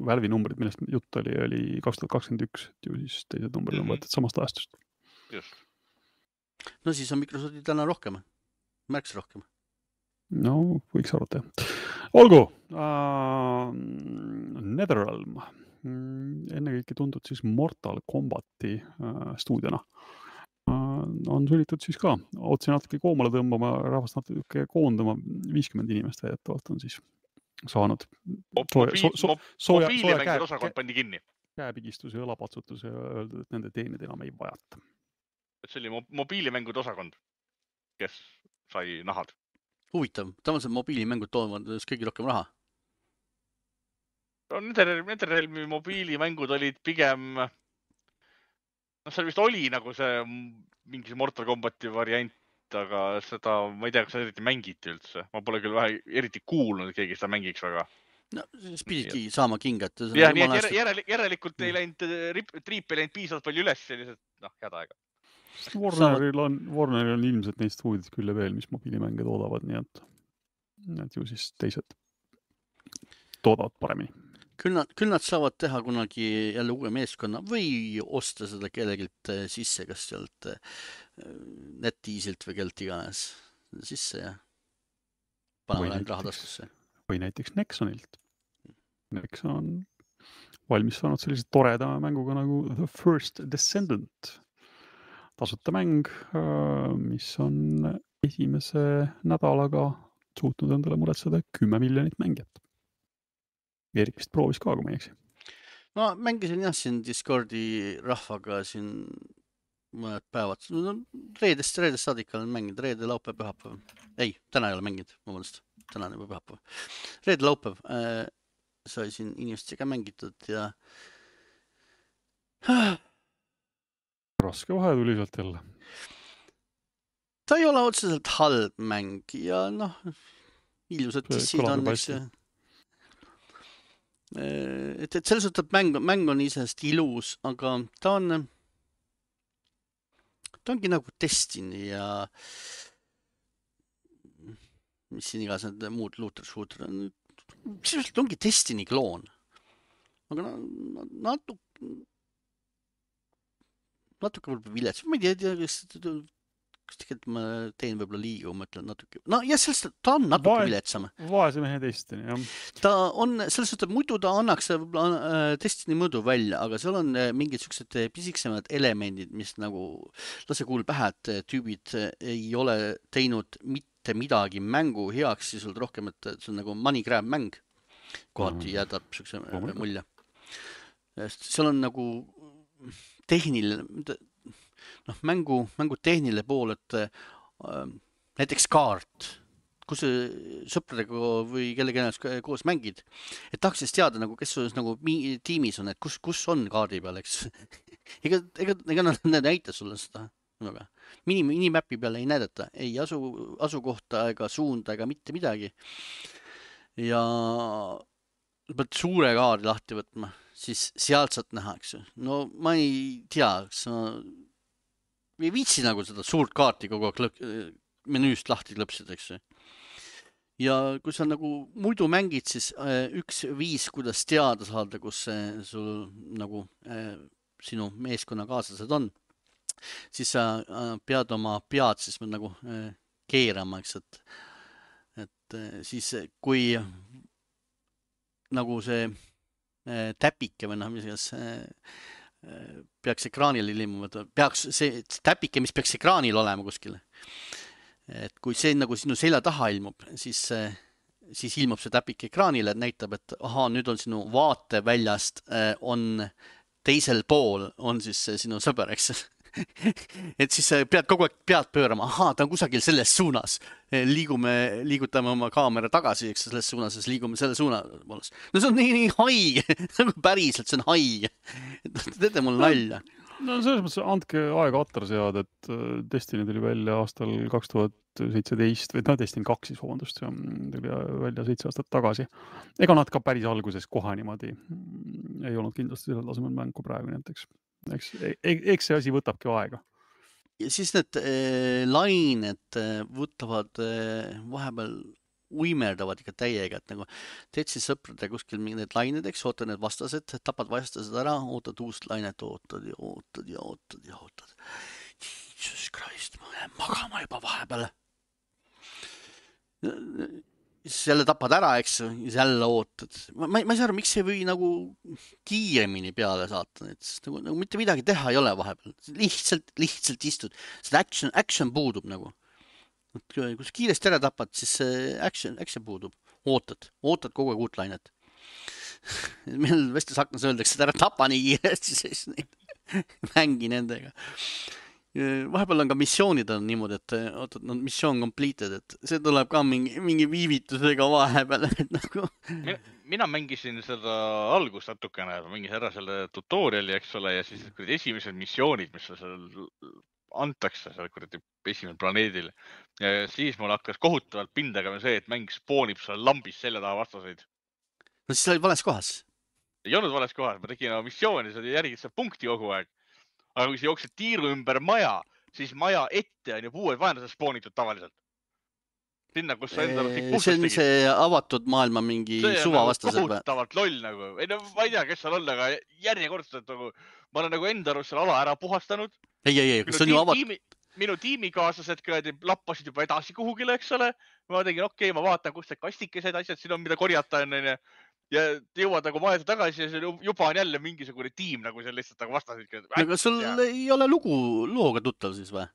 Valve'i numbrid, millest jutt oli, oli kaks tuhat kakskümmend üks, et ju siis teised numbrid on võetud samast ajastust. Just. No siis on Microsofti täna rohkem, märks rohkem. No, võiks arvata, jah. Olgu, uh, Netherrealm ennekõike tuntud siis Mortal Combati stuudiona. On sunnitud siis ka otsi natuke koomale tõmbama, rahvast natuke koondama, viiskümmend inimest väidetavalt on siis saanud. Mobiilimängude osakond pandi kinni. Käepigistuse ja õlapatsutuse ja öeldud, et nende teenid enam ei vajata. See oli mobiilimängude osakond, kes sai nahad. Huvitav, tavaliselt mobiilimängud toovad kõige rohkem raha. Netherrealmi mobiilimängud olid pigem... No seal vist oli nagu see mingi Mortal Combati variant, aga seda, ma ei tea, kas seda eriti mängiti üldse. Ma pole küll vähe eriti kuulnud, et keegi seda mängiks väga. No, siis pididki saama kingat. Ja, nii et järelikult, järelikult ei läinud, triip ei läinud piisavalt palju üles sellised, noh, head aega. Warneril on, Warneril on ilmselt neist huvidid küll ja veel, mis mobiilimänge toodavad, nii et, et ju siis teised toodavad paremini. Küll nad, küll nad saavad teha kunagi jälle uue meeskonna või osta seda kellegilt sisse, kas sealt NetEasilt või kelt iganes sisse ja paneme läinud raha taskusse. Või näiteks Nexonilt. Nexon on valmis saanud sellise toreda mänguga nagu The First Descendant. Tasuta mäng, mis on esimese nädalaga suutnud endale muretseda kümme miljonit mängijat. Erik vist proovis ka, kui ma ei eksi. No mängisin jah siin Discordi rahvaga siin mõned päevad. No, reedest, reedest saadika olen mänginud. Reede, laupäev, pühapäev. Ei, täna ei ole mänginud. Vabandust. Täna on juba pühapäev. Reede, laupäev äh, sai siin inimestega mängitud ja... Raske vahe tuli sealt jälle. Ta ei ole otseselt halb mäng ja noh, ilusad dissid on, eks ju. Et, et selles suhtes mäng, mäng on isest ilus, aga ta on ta ongi nagu Destiny ja mis siin igas need muud looter-shooter on. Sisuliselt ongi Destiny kloon. Aga natuke natuke võib-olla vilets. Ma ei tea, kas kas tegelikult ma teen võib-olla liiga, ma ütlen natuke. No ja sellest ta on natuke Va viletsam. Vaese mehe Destiny, jah. Ta on, selles suhtes, muidu ta annaks võib-olla Destiny mõõdu välja, aga seal on mingid sellised pisiksemad elemendid, mis nagu lase kuul pähe, et tüübid ei ole teinud mitte midagi mängu heaks, siis on rohkem, et see on nagu money grab mäng. Kohati jäädab sellise mulje. Seal on nagu tehniline noh, mängu, mängu tehniline pool, et äh, näiteks kaart, kus sõpradega või kellegi ennast koos mängid, et tahaks siis teada, nagu, kes sul nagu tiimis on, et kus, kus on kaardi peal, eks. ega, ega, ega nad näita sulle seda. Mini, minimäpi peale ei näidata, ei asu, asukohta ega suunda ega mitte midagi. Ja pead suure kaardi lahti võtma, siis sealt saad näha, eks. No ma ei tea, kas ma ei viitsi nagu seda suurt kaarti kogu aeg menüüst lahti klõpsida, eks. Ja kui sa nagu muidu mängid, siis üks viis, kuidas teada saada, kus sul nagu sinu meeskonna kaaslased on, siis sa pead oma pead siis nagu keerama, eks, et, et siis kui nagu see täpike või noh, mis igas peaks ekraanil ilmuma, peaks see täpike, mis peaks ekraanil olema kuskil. Et kui see nagu sinu selja taha ilmub, siis, siis ilmub see täpike ekraanile, et näitab, et aha, nüüd on sinu vaateväljast on teisel pool, on siis sinu sõber, eks. Et siis pead kogu aeg pead pöörama, aha, ta on kusagil selles suunas. Liigume, liigutame oma kaamera tagasi, eks selles suunas, siis liigume selle suuna. No see on nii, nii haige, päriselt see on haige. Teete mul nalja. No selles mõttes andke aega attar sead, et Destiny tuli välja aastal kaks tuhat seitseteist või no Destiny kaks siis, vabandust, tuli välja seitse aastat tagasi. Ega nad ka päris alguses kohe niimoodi ei olnud kindlasti selle tasemel mängu praegu näiteks. Eks, eks see asi võtabki aega. Ja siis need äh, lained võtavad äh, vahepeal uimerdavad ikka täiega, et nagu teed siis sõprade kuskil need lained, eks, ootad need vastased, tapad vastased ära, ootad uust lainet, ootad ja ootad ja ootad ja ootad. Jesus Christ, ma lähen magama juba vahepeal. siis jälle tapad ära, eks ju, ja siis jälle ootad. Ma, ma, ma ei saa aru, miks ei või nagu kiiremini peale saata neid, sest nagu, nagu mitte midagi teha ei ole vahepeal. Lihtsalt, lihtsalt istud. Seda action, action puudub nagu. Kui sa kiiresti ära tapad, siis action, action puudub. Ootad, ootad kogu aeg uut lainet. Meil vestlusaknas öeldakse, et ära tapa nii kiiresti, siis neid mängi nendega. Vahepeal on ka missioonid on niimoodi, et ootad, no missioon completed, et see tuleb ka mingi, mingi viivitusega vahepeal. Et nagu... mina, mina mängisin seda algust natukene, mängisin ära selle tutoriali, eks ole, ja siis esimesed missioonid, mis seal antakse seal kuradi esimesel planeedil. Ja siis mul hakkas kohutavalt pindega see, et mäng spoonib seal lambis selja taha vastaseid. No siis olid vales kohas. Ei olnud vales kohas, ma tegin missiooni, sa järgid seda punkti kogu aeg. Aga kui sa jooksed tiiru ümber maja, siis maja ette on ju uued vaenlased spoonitud tavaliselt. Sinna, kus sa endale tegid. See on see avatud maailma mingi suvavastased. See on nagu kohutavalt loll nagu. Ei, no, ma ei tea, kes seal on, aga järjekordselt nagu, ma olen nagu enda arust seal ala ära puhastanud. Ei, ei, ei, kas on ju avatud? Minu tiimikaaslased lappasid juba edasi kuhugile, eks ole. Ma tegin, okei, okay, ma vaatan, kus see kastikesed asjad siin on, mida korjata on. Ja jõuad nagu maja tagasi ja juba on jälle mingisugune tiim nagu seal lihtsalt nagu vastasid. Aga sul ei ole lugu looga tuttav siis või?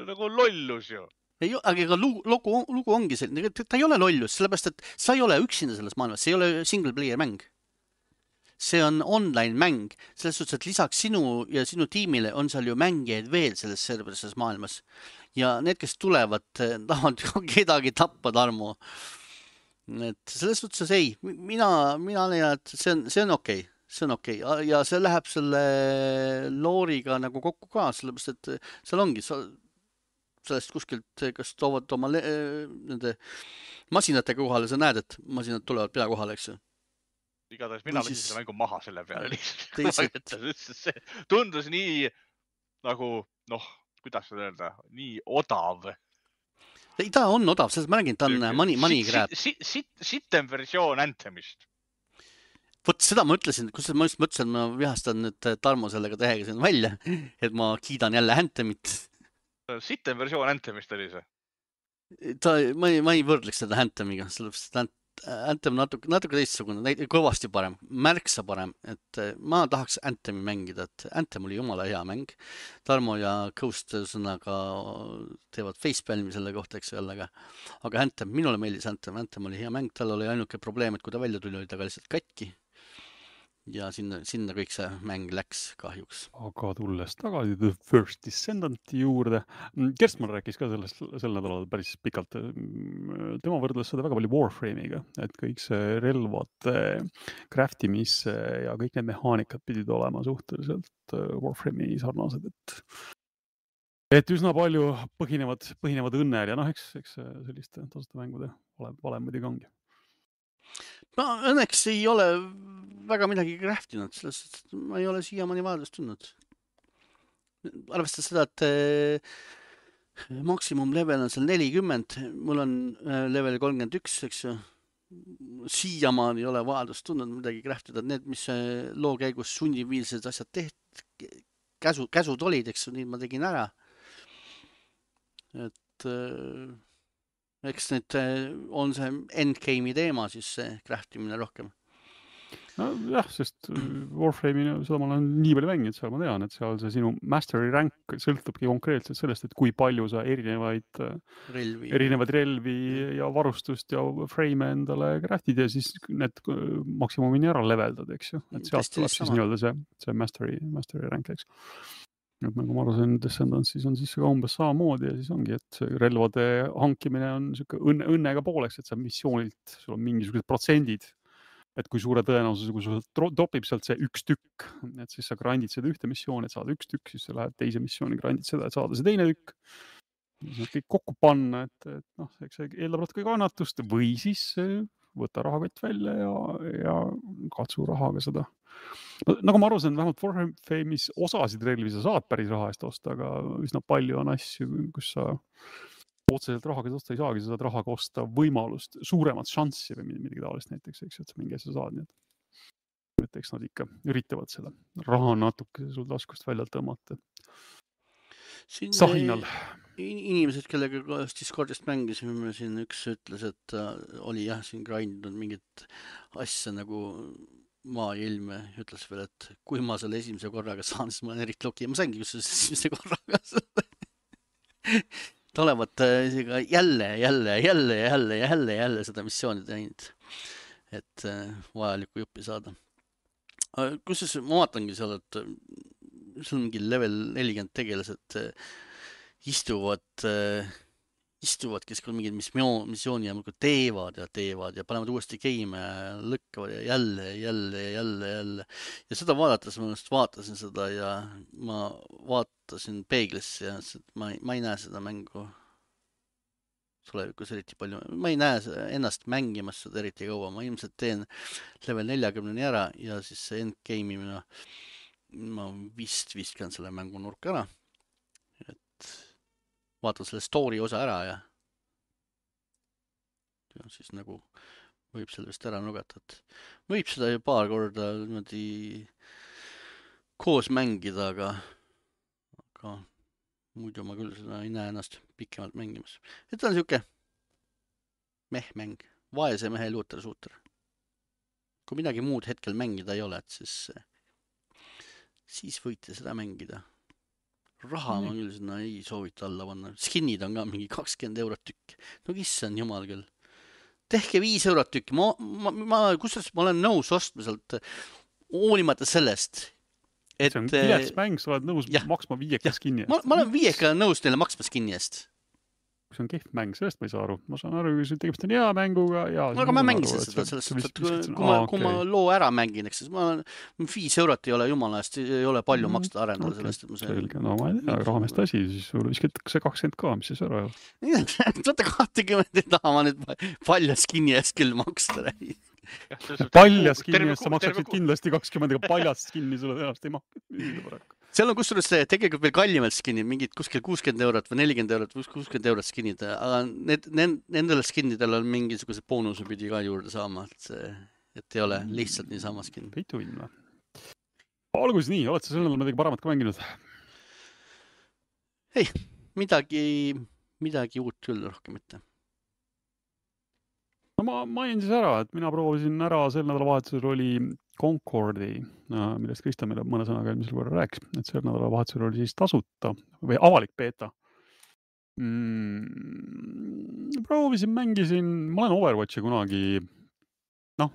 Nagu lollus ju. Ei, aga lugu, lugu, lugu ongi selline, ta ei ole lollus, sellepärast, et sa ei ole üksinda selles maailmas, see ei ole single player mäng. See on online mäng, selles suhtes, et lisaks sinu ja sinu tiimile on seal ju mängijaid veel selles serverises maailmas. Ja need, kes tulevad, tahavad kedagi tappa, Tarmo. Et selles suhtes ei, mina, mina leian, et see on, see on okei, okay. see on okei okay. Ja see läheb selle looriga nagu kokku ka, sellepärast, et seal ongi, sa, sellest kuskilt, kas toovad oma le, nende masinatega kohale, sa näed, et masinad tulevad pea kohale, eks ju. Igatahes mina võisin selle mängu maha selle peale lihtsalt. See tundus nii nagu, noh, kuidas seda öelda, nii odav. Ei, ta on odav, selles ma räägin, ta on money, money grab. Sitten versioon Anthemist. Vot seda ma ütlesin, kus ma just mõtlesin, ma vihastan nüüd Tarmo sellega tähega siin välja, et ma kiidan jälle Anthemit. Sitten versioon Anthemist oli see? Ta, ma, ei, ma ei võrdleks seda Anthemiga, sellepärast, et Anthem natuke, natuke teistsugune, kõvasti parem, märksa parem, et ma tahaks Anthemi mängida, et Anthem oli jumala hea mäng. Tarmo ja Ghost sõnaga teevad facepalmi selle kohta, eks jälle, aga, aga Anthem, minule meeldis Anthem, Anthem oli hea mäng, tal oli ainuke probleem, et kui ta välja tuli, oli ta ka lihtsalt katki. Ja sinna, sinna kõik see mäng läks kahjuks. Aga tulles tagasi The First Descendanti juurde, Kerstman rääkis ka sellest sel nädalal päris pikalt. Tema võrdles seda väga palju Warframe'iga, et kõik see relvad, craftimis ja kõik need mehaanikad pidid olema suhteliselt Warframe'i sarnased, et et üsna palju põhinevad, põhinevad õnnel ja noh, eks, eks selliste tasuta mängude valem muidugi ongi. No õnneks ei ole väga midagi craftinud, sellest ma ei ole siiamaani vajadust tundnud. Arvestades seda, et maksimum level on seal nelikümmend, mul on level kolmkümmend üks, eks ju. Siiamaani ei ole vajadust tundnud midagi craftida. Need, mis loo käigus sunniviilsed asjad tehti, käsu, käsud olid, eks ju, nii ma tegin ära. Et... Eks nüüd on see endgame'i teema, siis see craftimine rohkem. No jah, sest Warframe'i seda ma olen nii palju mänginud, seal ma tean, et seal see sinu mastery rank sõltubki konkreetselt sellest, et kui palju sa erinevaid relvi, erinevaid relvi ja varustust ja frame endale craftid ja siis need maksimumini ära leveldad, eks ju. Et sealt tuleb siis nii-öelda see, see mastery, mastery rank, eks. Et nagu ma arvasin, Descendants siis on siis ka umbes samamoodi ja siis ongi, et relvade hankimine on siuke õnne, õnnega pooleks, et sa missioonilt, sul on mingisugused protsendid, et kui suure tõenäosus, kui sul topib sealt see üks tükk, et siis sa grandid seda ühte missiooni, et saada üks tükk, siis sa lähed teise missiooni, grandid seda, et saada see teine tükk. Siis kõik kokku panna, et, et noh, eks see eeldab natuke kannatust või siis võta rahakott välja ja, ja katsu rahaga seda. Nagu ma aru saan, vähemalt Warframe'is osasid relvi sa saad päris raha eest osta, aga üsna palju on asju, kus sa otseselt rahaga osta ei saagi, sa saad rahaga osta võimalust, suuremat šanssi või midagi taolist näiteks, eks, et sa mingi asja saad. Nii et, et eks nad ikka üritavad seda raha natuke sul taskust välja tõmmata. Sahinal. inimesed, kellega koos Discordist mängisime, siin üks ütles, et ta oli jah, siin grindnud mingit asja nagu maa ja ilme, ütles veel, et kui ma selle esimese korraga saan, siis ma olen eriti loki ja ma saingi kusjuures esimese korraga tulevat isegi jälle, jälle, jälle, jälle, jälle, jälle seda missiooni teinud, et vajalikku juppi saada. Kusjuures ma vaatangi seal, et seal on mingi level nelikümmend tegelased istuvad, istuvad, kes küll mingid missiooni ja teevad ja teevad ja panevad uuesti game ja lõkkavad ja jälle, jälle, jälle, jälle. Ja seda vaadates ma just vaatasin seda ja ma vaatasin peeglisse ja ma, ma ei näe seda mängu tulevikus eriti palju. Ma ei näe ennast mängimas seda eriti kaua. Ma ilmselt teen level neljakümneni ära ja siis see endgame'i mina, ma vist viskan selle mängu nurka ära. Et vaatan selle story osa ära ja, ja siis nagu võib selle vist ära nugata, et võib seda ju paar korda niimoodi koos mängida, aga, aga muidu ma küll seda ei näe ennast pikemalt mängimas. Et on siuke meh-mäng, vaese mehe looter-suuter. Kui midagi muud hetkel mängida ei ole, et siis, siis võite seda mängida. Raha ma küll sinna ei soovita alla panna. Skinnid on ka mingi kakskümmend eurot tükk. No issand jumal küll. Tehke viis eurot tükk. Ma, ma, ma, kusjuures ma olen nõus ostma sealt hoolimata sellest. Et, see on kilets mäng, sa oled nõus ja, maksma viieka skinni eest. Ma, ma olen viieka nõus teile maksma skinni eest. See on kehv mäng, sellest ma ei saa aru. Ma saan aru, kui tegemist on hea mänguga. Ja, no, aga ma mängisin seda sellest, et kui, kui, ma, kui ma loo ära mängin, eks siis ma viis eurot ei ole jumala eest, ei ole palju maksta arendada okay. Sellest. Ma see... No ma ei tea, rahmest asi, siis sulle viskatakse kakskümmend ka, mis siis ära ei ole. Sada kakskümmend ei taha ma nüüd palja skinni eest küll maksta. Paljas skinni eest sa maksaksid kindlasti kakskümmend, aga paljast skinni sulle tõenäoliselt ei maksa. Seal on kusjuures tegelikult veel kallimalt skinnid, mingid kuskil kuuskümmend eurot või nelikümmend eurot või kuuskümmend eurot skinnid, aga need, need, nendel skinnidel on mingisugused boonuse pidi ka juurde saama, et, see, et ei ole lihtsalt niisama skinn. Peitu inna. Algus nii, oled sa selle nädal midagi paremat ka mänginud? Ei, midagi, midagi uut küll rohkem mitte. No ma mainin siis ära, et mina proovisin ära, sel nädalavahetusel oli Concordi, millest Krista meile mõne sõnaga eelmisel korral rääkis, et sel nädalavahetusel oli siis tasuta või avalik beeta. Mm, proovisin, mängisin, ma olen Overwatchi kunagi, noh,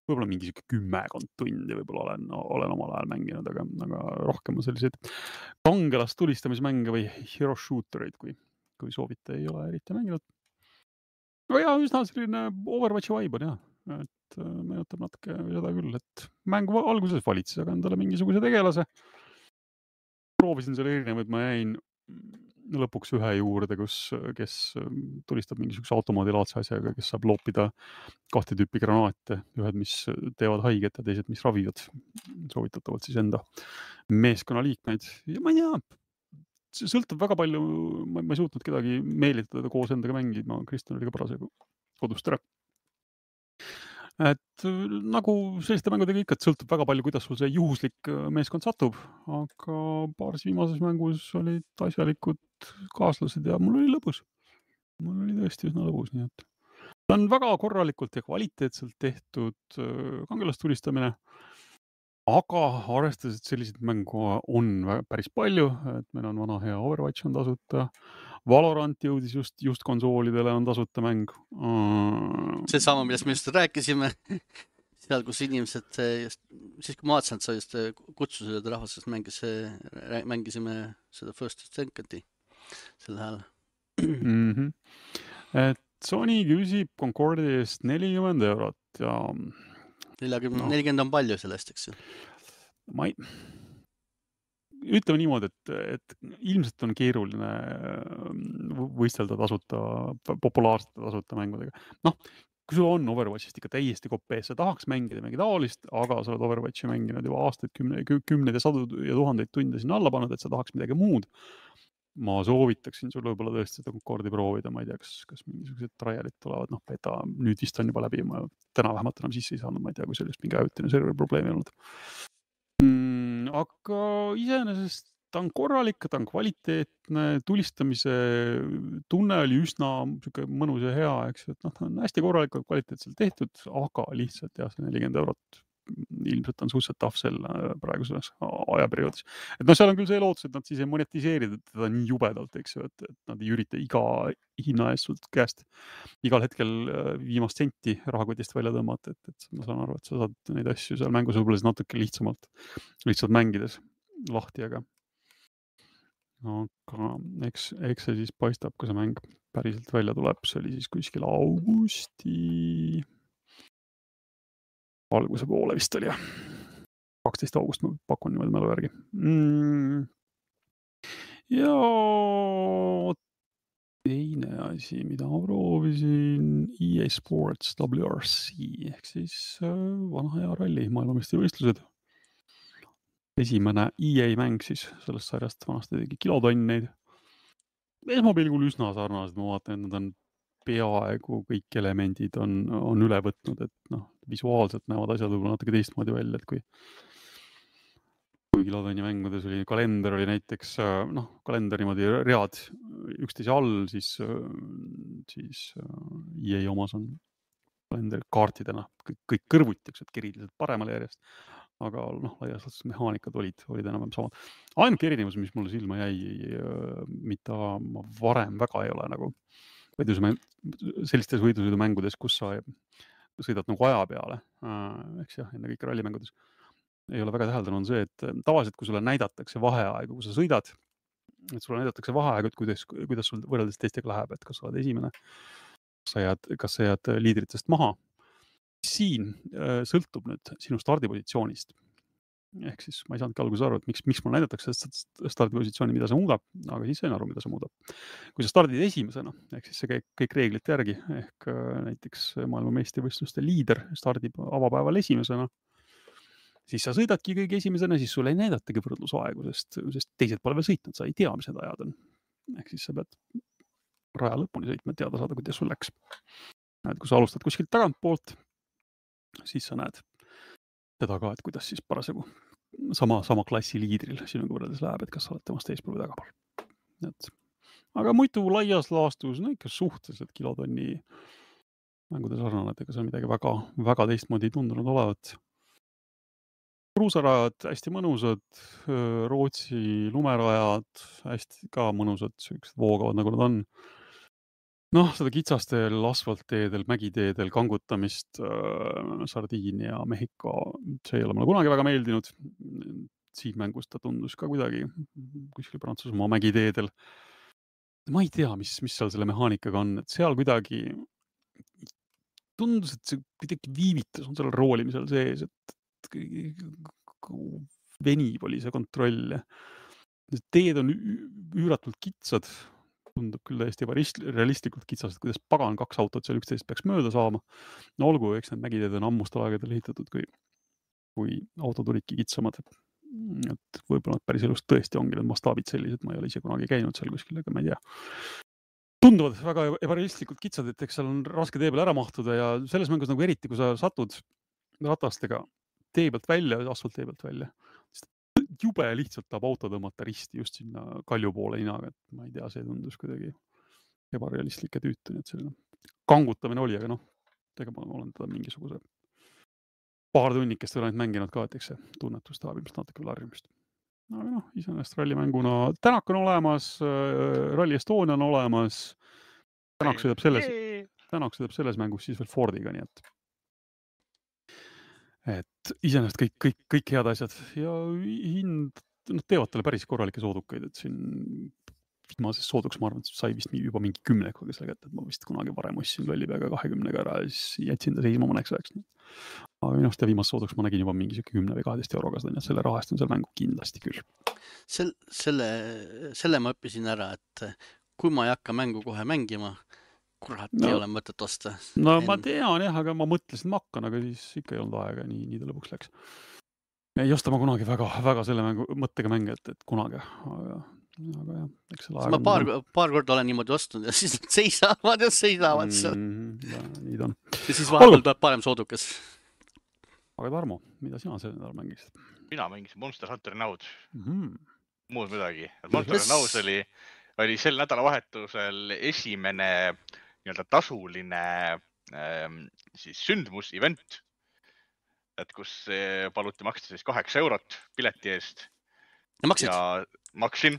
võib-olla mingi kümmekond tundi võib-olla olen, olen omal ajal mänginud, aga, aga rohkem on selliseid kangelast tulistamismänge või hero shootereid, kui, kui soovite, ei ole eriti mänginud. No ja, üsna selline Overwatchi vibe on jah, et meenutab natuke seda küll, et mängu alguses valitses, aga endale mingisuguse tegelase. Proovisin selle erinevaid, ma jäin lõpuks ühe juurde, kus, kes tulistab mingisuguse automaadilaadse asjaga, kes saab loopida kahte tüüpi granaate, ühed, mis teevad haiget ja teised, mis ravivad. Soovitatavalt siis enda meeskonna liikmeid. Ja ma ei tea, see sõltub väga palju, ma, ma ei suutnud kedagi meelitada koos endaga mängima, Kristjan oli ka parasjagu kodust ära. Et nagu selliste mängudega ikka, et sõltub väga palju, kuidas sul see juhuslik meeskond satub, aga paaris viimases mängus olid asjalikud kaaslased ja mul oli lõbus. Mul oli tõesti üsna lõbus, nii et ta on väga korralikult ja kvaliteetselt tehtud kangelastulistamine. Aga arvestades, et selliseid mängu on päris palju, et meil on vana hea Overwatch on tasuta, Valorant jõudis just, just konsoolidele on tasuta mäng. See sama, millest me just rääkisime, seal, kus inimesed, just, siis kui ma vaatasin, et sa just kutsused rahvasest mängis, mängisime seda First Second'i sel hääl. Mm-hmm. Et Sony küsib Concordi eest nelikümmend eurot ja nelikümmend, no. nelikümmend on palju sellest, eks ju? Ma ei... Ütleme niimoodi, et, et ilmselt on keeruline võistelda tasuta, populaarsete tasuta mängudega. Noh, kui sul on Overwatchist ikka täiesti kopees, sa tahaks mängida mingi taolist, aga sa oled Overwatchi mänginud juba aastaid, kümne, kümneid ja sadu ja tuhandeid tunde sinna alla pannud, et sa tahaks midagi muud. Ma soovitaksin sul võib-olla tõesti seda Concordi proovida, ma ei tea, kas, kas mingisugused trialid tulevad, noh, beta nüüd vist on juba läbi, ma täna vähemalt enam sisse ei saanud, ma ei tea, kui sellest mingi ajutine serveri probleemi olnud. Mm, aga iseenesest ta on korralik, ta on kvaliteetne, tulistamise tunne oli üsna mõnus ja hea, eks, et noh, ta on hästi korralikult kvaliteetselt tehtud, aga lihtsalt jah, see nelikümmend eurot ilmselt on suhteliselt tahv sel praeguses ajaperioodis. Et noh, seal on küll see lootus, et nad siis ei monetiseeri teda nii jubedalt, eks ju, et, et nad ei ürita iga hinna eest sult käest igal hetkel viimast senti rahakotist välja tõmmata, et, et ma saan aru, et sa saad neid asju seal mängus võib-olla natuke lihtsamalt, lihtsalt mängides lahti, aga aga eks, eks see siis paistab, kui see mäng päriselt välja tuleb, see oli siis kuskil augusti alguse poole vist oli, jah. kaksteist august ma pakun niimoodi mälu järgi. Mm. Ja teine asi, mida ma proovisin, E A Sports W R C, ehk siis vana hea ralli maailmameistrivõistlused. Esimene E A mäng siis sellest sarjast vanasti tegi kilotonneid. Esmapilgul üsna sarnased, ma vaatan, et nad on peaaegu kõik elemendid on, on üle võtnud, et noh, visuaalselt näevad asjad võib-olla natuke teistmoodi välja, et kui kui kilotonni mängudes oli, kalender oli näiteks, noh, kalender niimoodi read üksteise all, siis, siis E A omas on kalender kaartidena, kõik, kõik kõrvuti, eks, et keriliselt paremale järjest, aga noh, laias laastus mehaanikad olid, olid enam samad. Ainuke erinevus, mis mulle silma jäi, mida ma varem väga ei ole nagu võidusmäng, sellistes võidusõidumängudes, kus sa sõidad nagu aja peale, eks jah, enne kõik rallimängudes, ei ole väga täheldanud, on see, et tavaliselt, kui sulle näidatakse vaheaegu, kui sa sõidad, et sulle näidatakse vaheaegu, et kuidas, kuidas sul võrreldes teistega läheb, et kas sa oled esimene, kas sa jääd, kas sa jääd liidritest maha. Siin sõltub nüüd sinu stardipositsioonist. Ehk siis ma ei saanudki alguses aru, et miks, miks mul näidatakse stardipositsiooni, mida see muudab, aga siis sain aru, mida see muudab. Kui sa stardid esimesena, ehk siis see käib kõik reeglite järgi, ehk näiteks maailmameistrivõistluste liider stardib avapäeval esimesena, siis sa sõidadki kõige esimesena, siis sulle ei näidatagi võrdlusaegu, sest, sest teised pole veel sõitnud, sa ei tea, mis need ajad on. Ehk siis sa pead raja lõpuni sõitma, et teada saada, kuidas sul läks. Et kui sa alustad kuskilt tagantpoolt, siis sa näed seda ka, et kuidas siis parasjagu sama, sama klassi liidril sinuga võrreldes läheb, et kas sa oled temast eespool või tagapool. Et, aga muidu laias laastus, no ikka suhteliselt kilotonni mängude sarnane, et ega see on midagi väga, väga teistmoodi tundunud olevat. Kruusarajad hästi mõnusad, Rootsi lumerajad hästi ka mõnusad, sellised voogavad nagu nad on. Noh, seda kitsastel asfaltteedel, mägiteedel kangutamist äh, Sardiinia, Mehhiko, see ei ole mulle kunagi väga meeldinud. Siin mängus ta tundus ka kuidagi kuskil Prantsusmaa mägiteedel. Ma ei tea, mis, mis seal selle mehaanikaga on, et seal kuidagi tundus, et see kuidagi viivitas on seal roolimisel sees, et venib oli see kontroll. Teed on üüratult kitsad, tundub küll täiesti realistlikult kitsast, et kuidas pagan kaks autot seal üksteist peaks mööda saama. No olgu, eks need mägiteed on ammustel aegadel ehitatud, kui, kui autod olidki kitsamad. Et võib-olla päris elust tõesti ongi need mastaabid sellised, ma ei ole ise kunagi käinud seal kuskil, aga ma ei tea. Tunduvad väga ebarealistlikult kitsad, et eks seal on raske tee peal ära mahtuda ja selles mängus nagu eriti, kui sa satud ratastega tee pealt välja, asfalt tee pealt välja, jube lihtsalt tahab auto tõmmata risti just sinna kalju poole inaga, et ma ei tea, see tundus kuidagi ebarealistlik ja tüütu, nii et selline kangutamine oli, aga noh, ega ma olen teda mingisuguse paar tunnikest veel ainult mänginud ka, et eks see tunnetus tahab ilmselt natuke veel harjumist. Aga noh, iseenesest rallimänguna Tänak on olemas, Rally Estonia on olemas, Tänak sõidab selles, Tänak sõidab selles mängus siis veel Fordiga, nii et et iseenesest kõik, kõik, kõik head asjad ja hind, noh, teevad talle päris korralikke soodukaid, et siin viimases sooduks, ma arvan, et sai vist juba mingi kümnekuga selle kätte, et ma vist kunagi varem ostsin lollipeaga kahekümnega ära ja siis jätsin ta seisma mõneks ajaks. Aga minu arust viimases sooduks ma nägin juba mingi kümne või kaheteist euroga seda, nii et selle rahast on seal mängu kindlasti küll. Sel, selle, selle ma õppisin ära, et kui ma ei hakka mängu kohe mängima, kurat no, ei ole mõtet osta. No en... ma tean jah, aga ma mõtlesin, ma hakkan, aga siis ikka ei olnud aega, nii, nii ta lõpuks läks. Ei osta ma kunagi väga, väga selle mängu, mõttega mänge, et, et kunagi. Aga, aga jah, eks selle aega... Ma paar, paar korda olen niimoodi ostnud ja siis nad seisavad ja seisavad seal. Mm, ja, nii ta on. Ja siis vahepeal tuleb parem soodukas. Aga Tarmo, mida sina selle nädal mängisid? Mina mängisin Monster Hunter Now'd. Mm-hmm. muud midagi. Monster Yes. Knows oli, oli sel nädalavahetusel esimene nii-öelda tasuline ähm, siis sündmus, event, et kus eh, paluti maksta siis kaheksa eurot pileti eest Ja maksid? ja maksin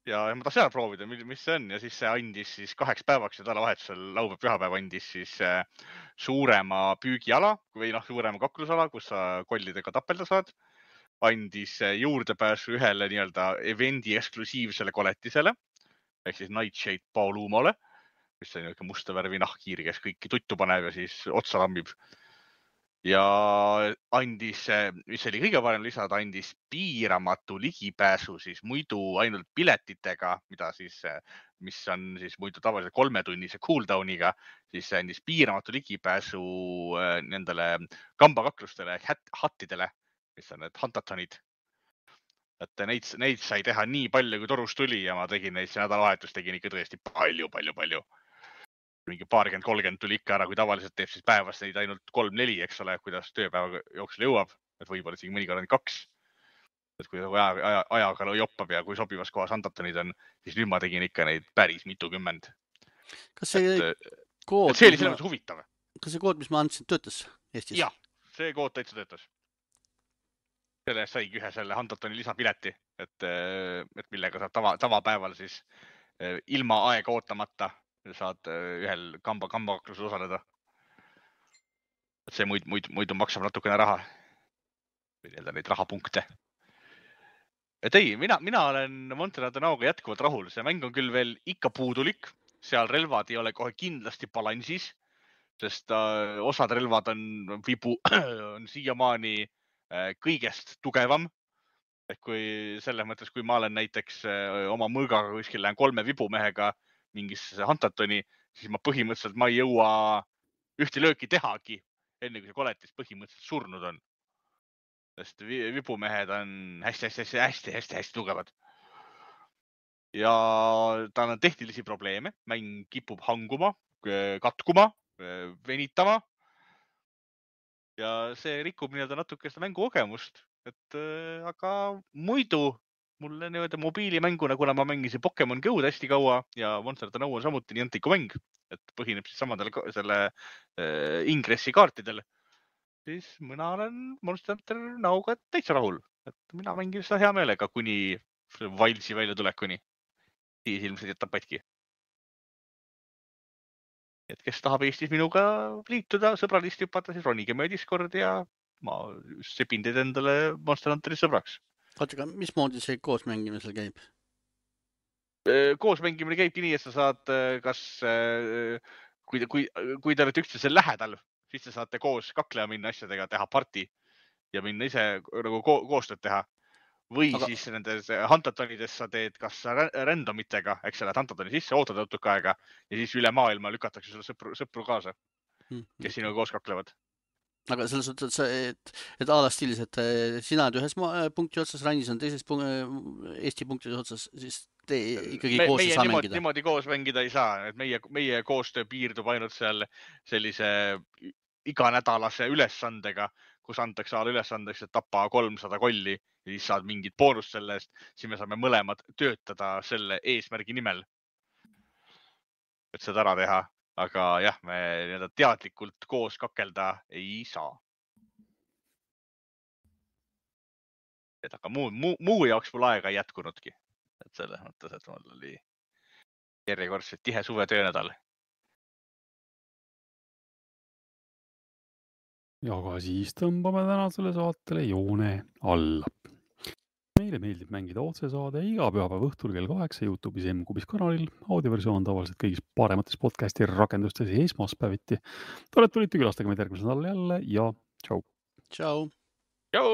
ja ma tahtsin ära proovida, mis mis see on ja siis see andis siis kaheks päevaks ja nädalavahetusel laupäev-pühapäev andis siis eh, suurema püügiala või noh, suurema kaklusala, kus sa kollidega tapelda saad. Andis eh, juurdepääsu ühele nii-öelda evendi eksklusiivsele koletisele ehk siis Nightshade Paulumole, mis on niisugune musta värvi nahkhiir, kes kõiki tuttu paneb ja siis otsa lammib. Ja andis, mis oli kõige parem lisada, andis piiramatu ligipääsu siis muidu ainult piletitega, mida siis, mis on siis muidu tavaliselt kolmetunnise cooldowniga, siis andis piiramatu ligipääsu nendele kambakaklustele ehk hattidele, mis on need huntatonid. Et neid, neid sai teha nii palju, kui torus tuli ja ma tegin neid see nädalavahetus, tegin ikka tõesti palju, palju, palju. Mingi paarkümmend, kolmkümmend tuli ikka ära, kui tavaliselt teeb siis päevas neid ainult kolm, neli, eks ole, kuidas tööpäeva jooksul jõuab. Et võib-olla siin mõnikord on kaks. Et kui aja, aja, ajaga joppab ja kui sobivas kohas huntatonid on, siis nüüd ma tegin ikka neid päris mitukümmend. Kas see et, kood, et see oli selles mõttes huvitav. Kas see kood, mis ma andsin, töötas Eestis? Jah, see kood täitsa töötas. Selle saigi ühe selle huntatoni lisapileti, et, et millega saad tava, tavapäeval siis ilma aega ootamata saad ühel kamba, kambaklusel osaleda. Et see muid, muid, muidu maksab natukene raha. Või nii-öelda neid rahapunkte. Et ei, mina, mina olen Monster Hunter Now'ga jätkuvalt rahul. See mäng on küll veel ikka puudulik. Seal relvad ei ole kohe kindlasti balansis, sest uh, osad relvad on vibu, on siiamaani kõigest tugevam. Et kui selles mõttes, kui ma olen näiteks oma mõõgaga kuskil lähen kolme vibumehega mingisse huntatoni, siis ma põhimõtteliselt ma ei jõua ühte lööki tehagi, enne kui see koletis põhimõtteliselt surnud on. Sest vibumehed on hästi, hästi, hästi, hästi, hästi, hästi tugevad. Ja tal on tehnilisi probleeme. Mäng kipub hanguma, katkuma, venitama. Ja see rikub nii-öelda natuke seda mängu kogemust, et äh, aga muidu mulle nii-öelda mobiilimänguna, kuna ma mängisin Pokemon Go'd hästi kaua ja Monster Hunter Now on samuti nii antiku mäng, et põhineb siis samadel selle äh, ingressi kaartidel, siis mina olen Monster Hunter Now'ga täitsa rahul, et mina mängin seda hea meelega kuni Wilds'i välja tulekuni. Siis ilmselt jätab patki. Et kes tahab Eestis minuga liituda, sõbralist hüpata, siis ronige meie Discord ja ma sepin teid endale Monster Hunteri sõbraks. Oota, mismoodi see koos mängimisel käib? Koos mängimine käibki nii, et sa saad kas, kui, kui, kui te olete üksteisel lähedal, siis te saate koos kaklema minna asjadega, teha parti ja minna ise nagu ko koostööd teha. Või aga... siis nendes huntatonides sa teed kas randomitega, eks sa lähed huntatoni sisse, ootad õutuka aega ja siis üle maailma lükatakse sulle sõpru, sõpru kaasa, kes sinuga koos kaklevad. Aga selles suhtes, et, et ala stiilis, et sina oled ühes punkti otsas, Rannis on teises punkti, Eesti punktis otsas, siis te ikkagi me, koos ei saa niimoodi, mängida. Niimoodi koos mängida ei saa, et meie, meie koostöö piirdub ainult seal sellise iganädalase ülesandega, kus antakse ala ülesandeks, et tapa kolmsada kolli ja siis saad mingit boonust selle eest, siis me saame mõlemad töötada selle eesmärgi nimel, et seda ära teha. Aga jah, me teadlikult koos kakelda ei saa. Et aga muu, muu, muu jaoks mul aega ei jätkunudki. Et selles mõttes, et mul oli järjekordselt tihe suve töönädal. Ja aga siis tõmbame tänasele saatele joone alla. Meile meeldib mängida otsesaade iga pühapäeva õhtul kell kaheksa YouTube'is M-Kubis kanalil. Audioversioon on tavaliselt kõigis paremates podcasti rakendustes esmaspäeviti. Te olete tulite külastage meid järgmisel nädalal jälle ja tšau. Tšau. Tšau.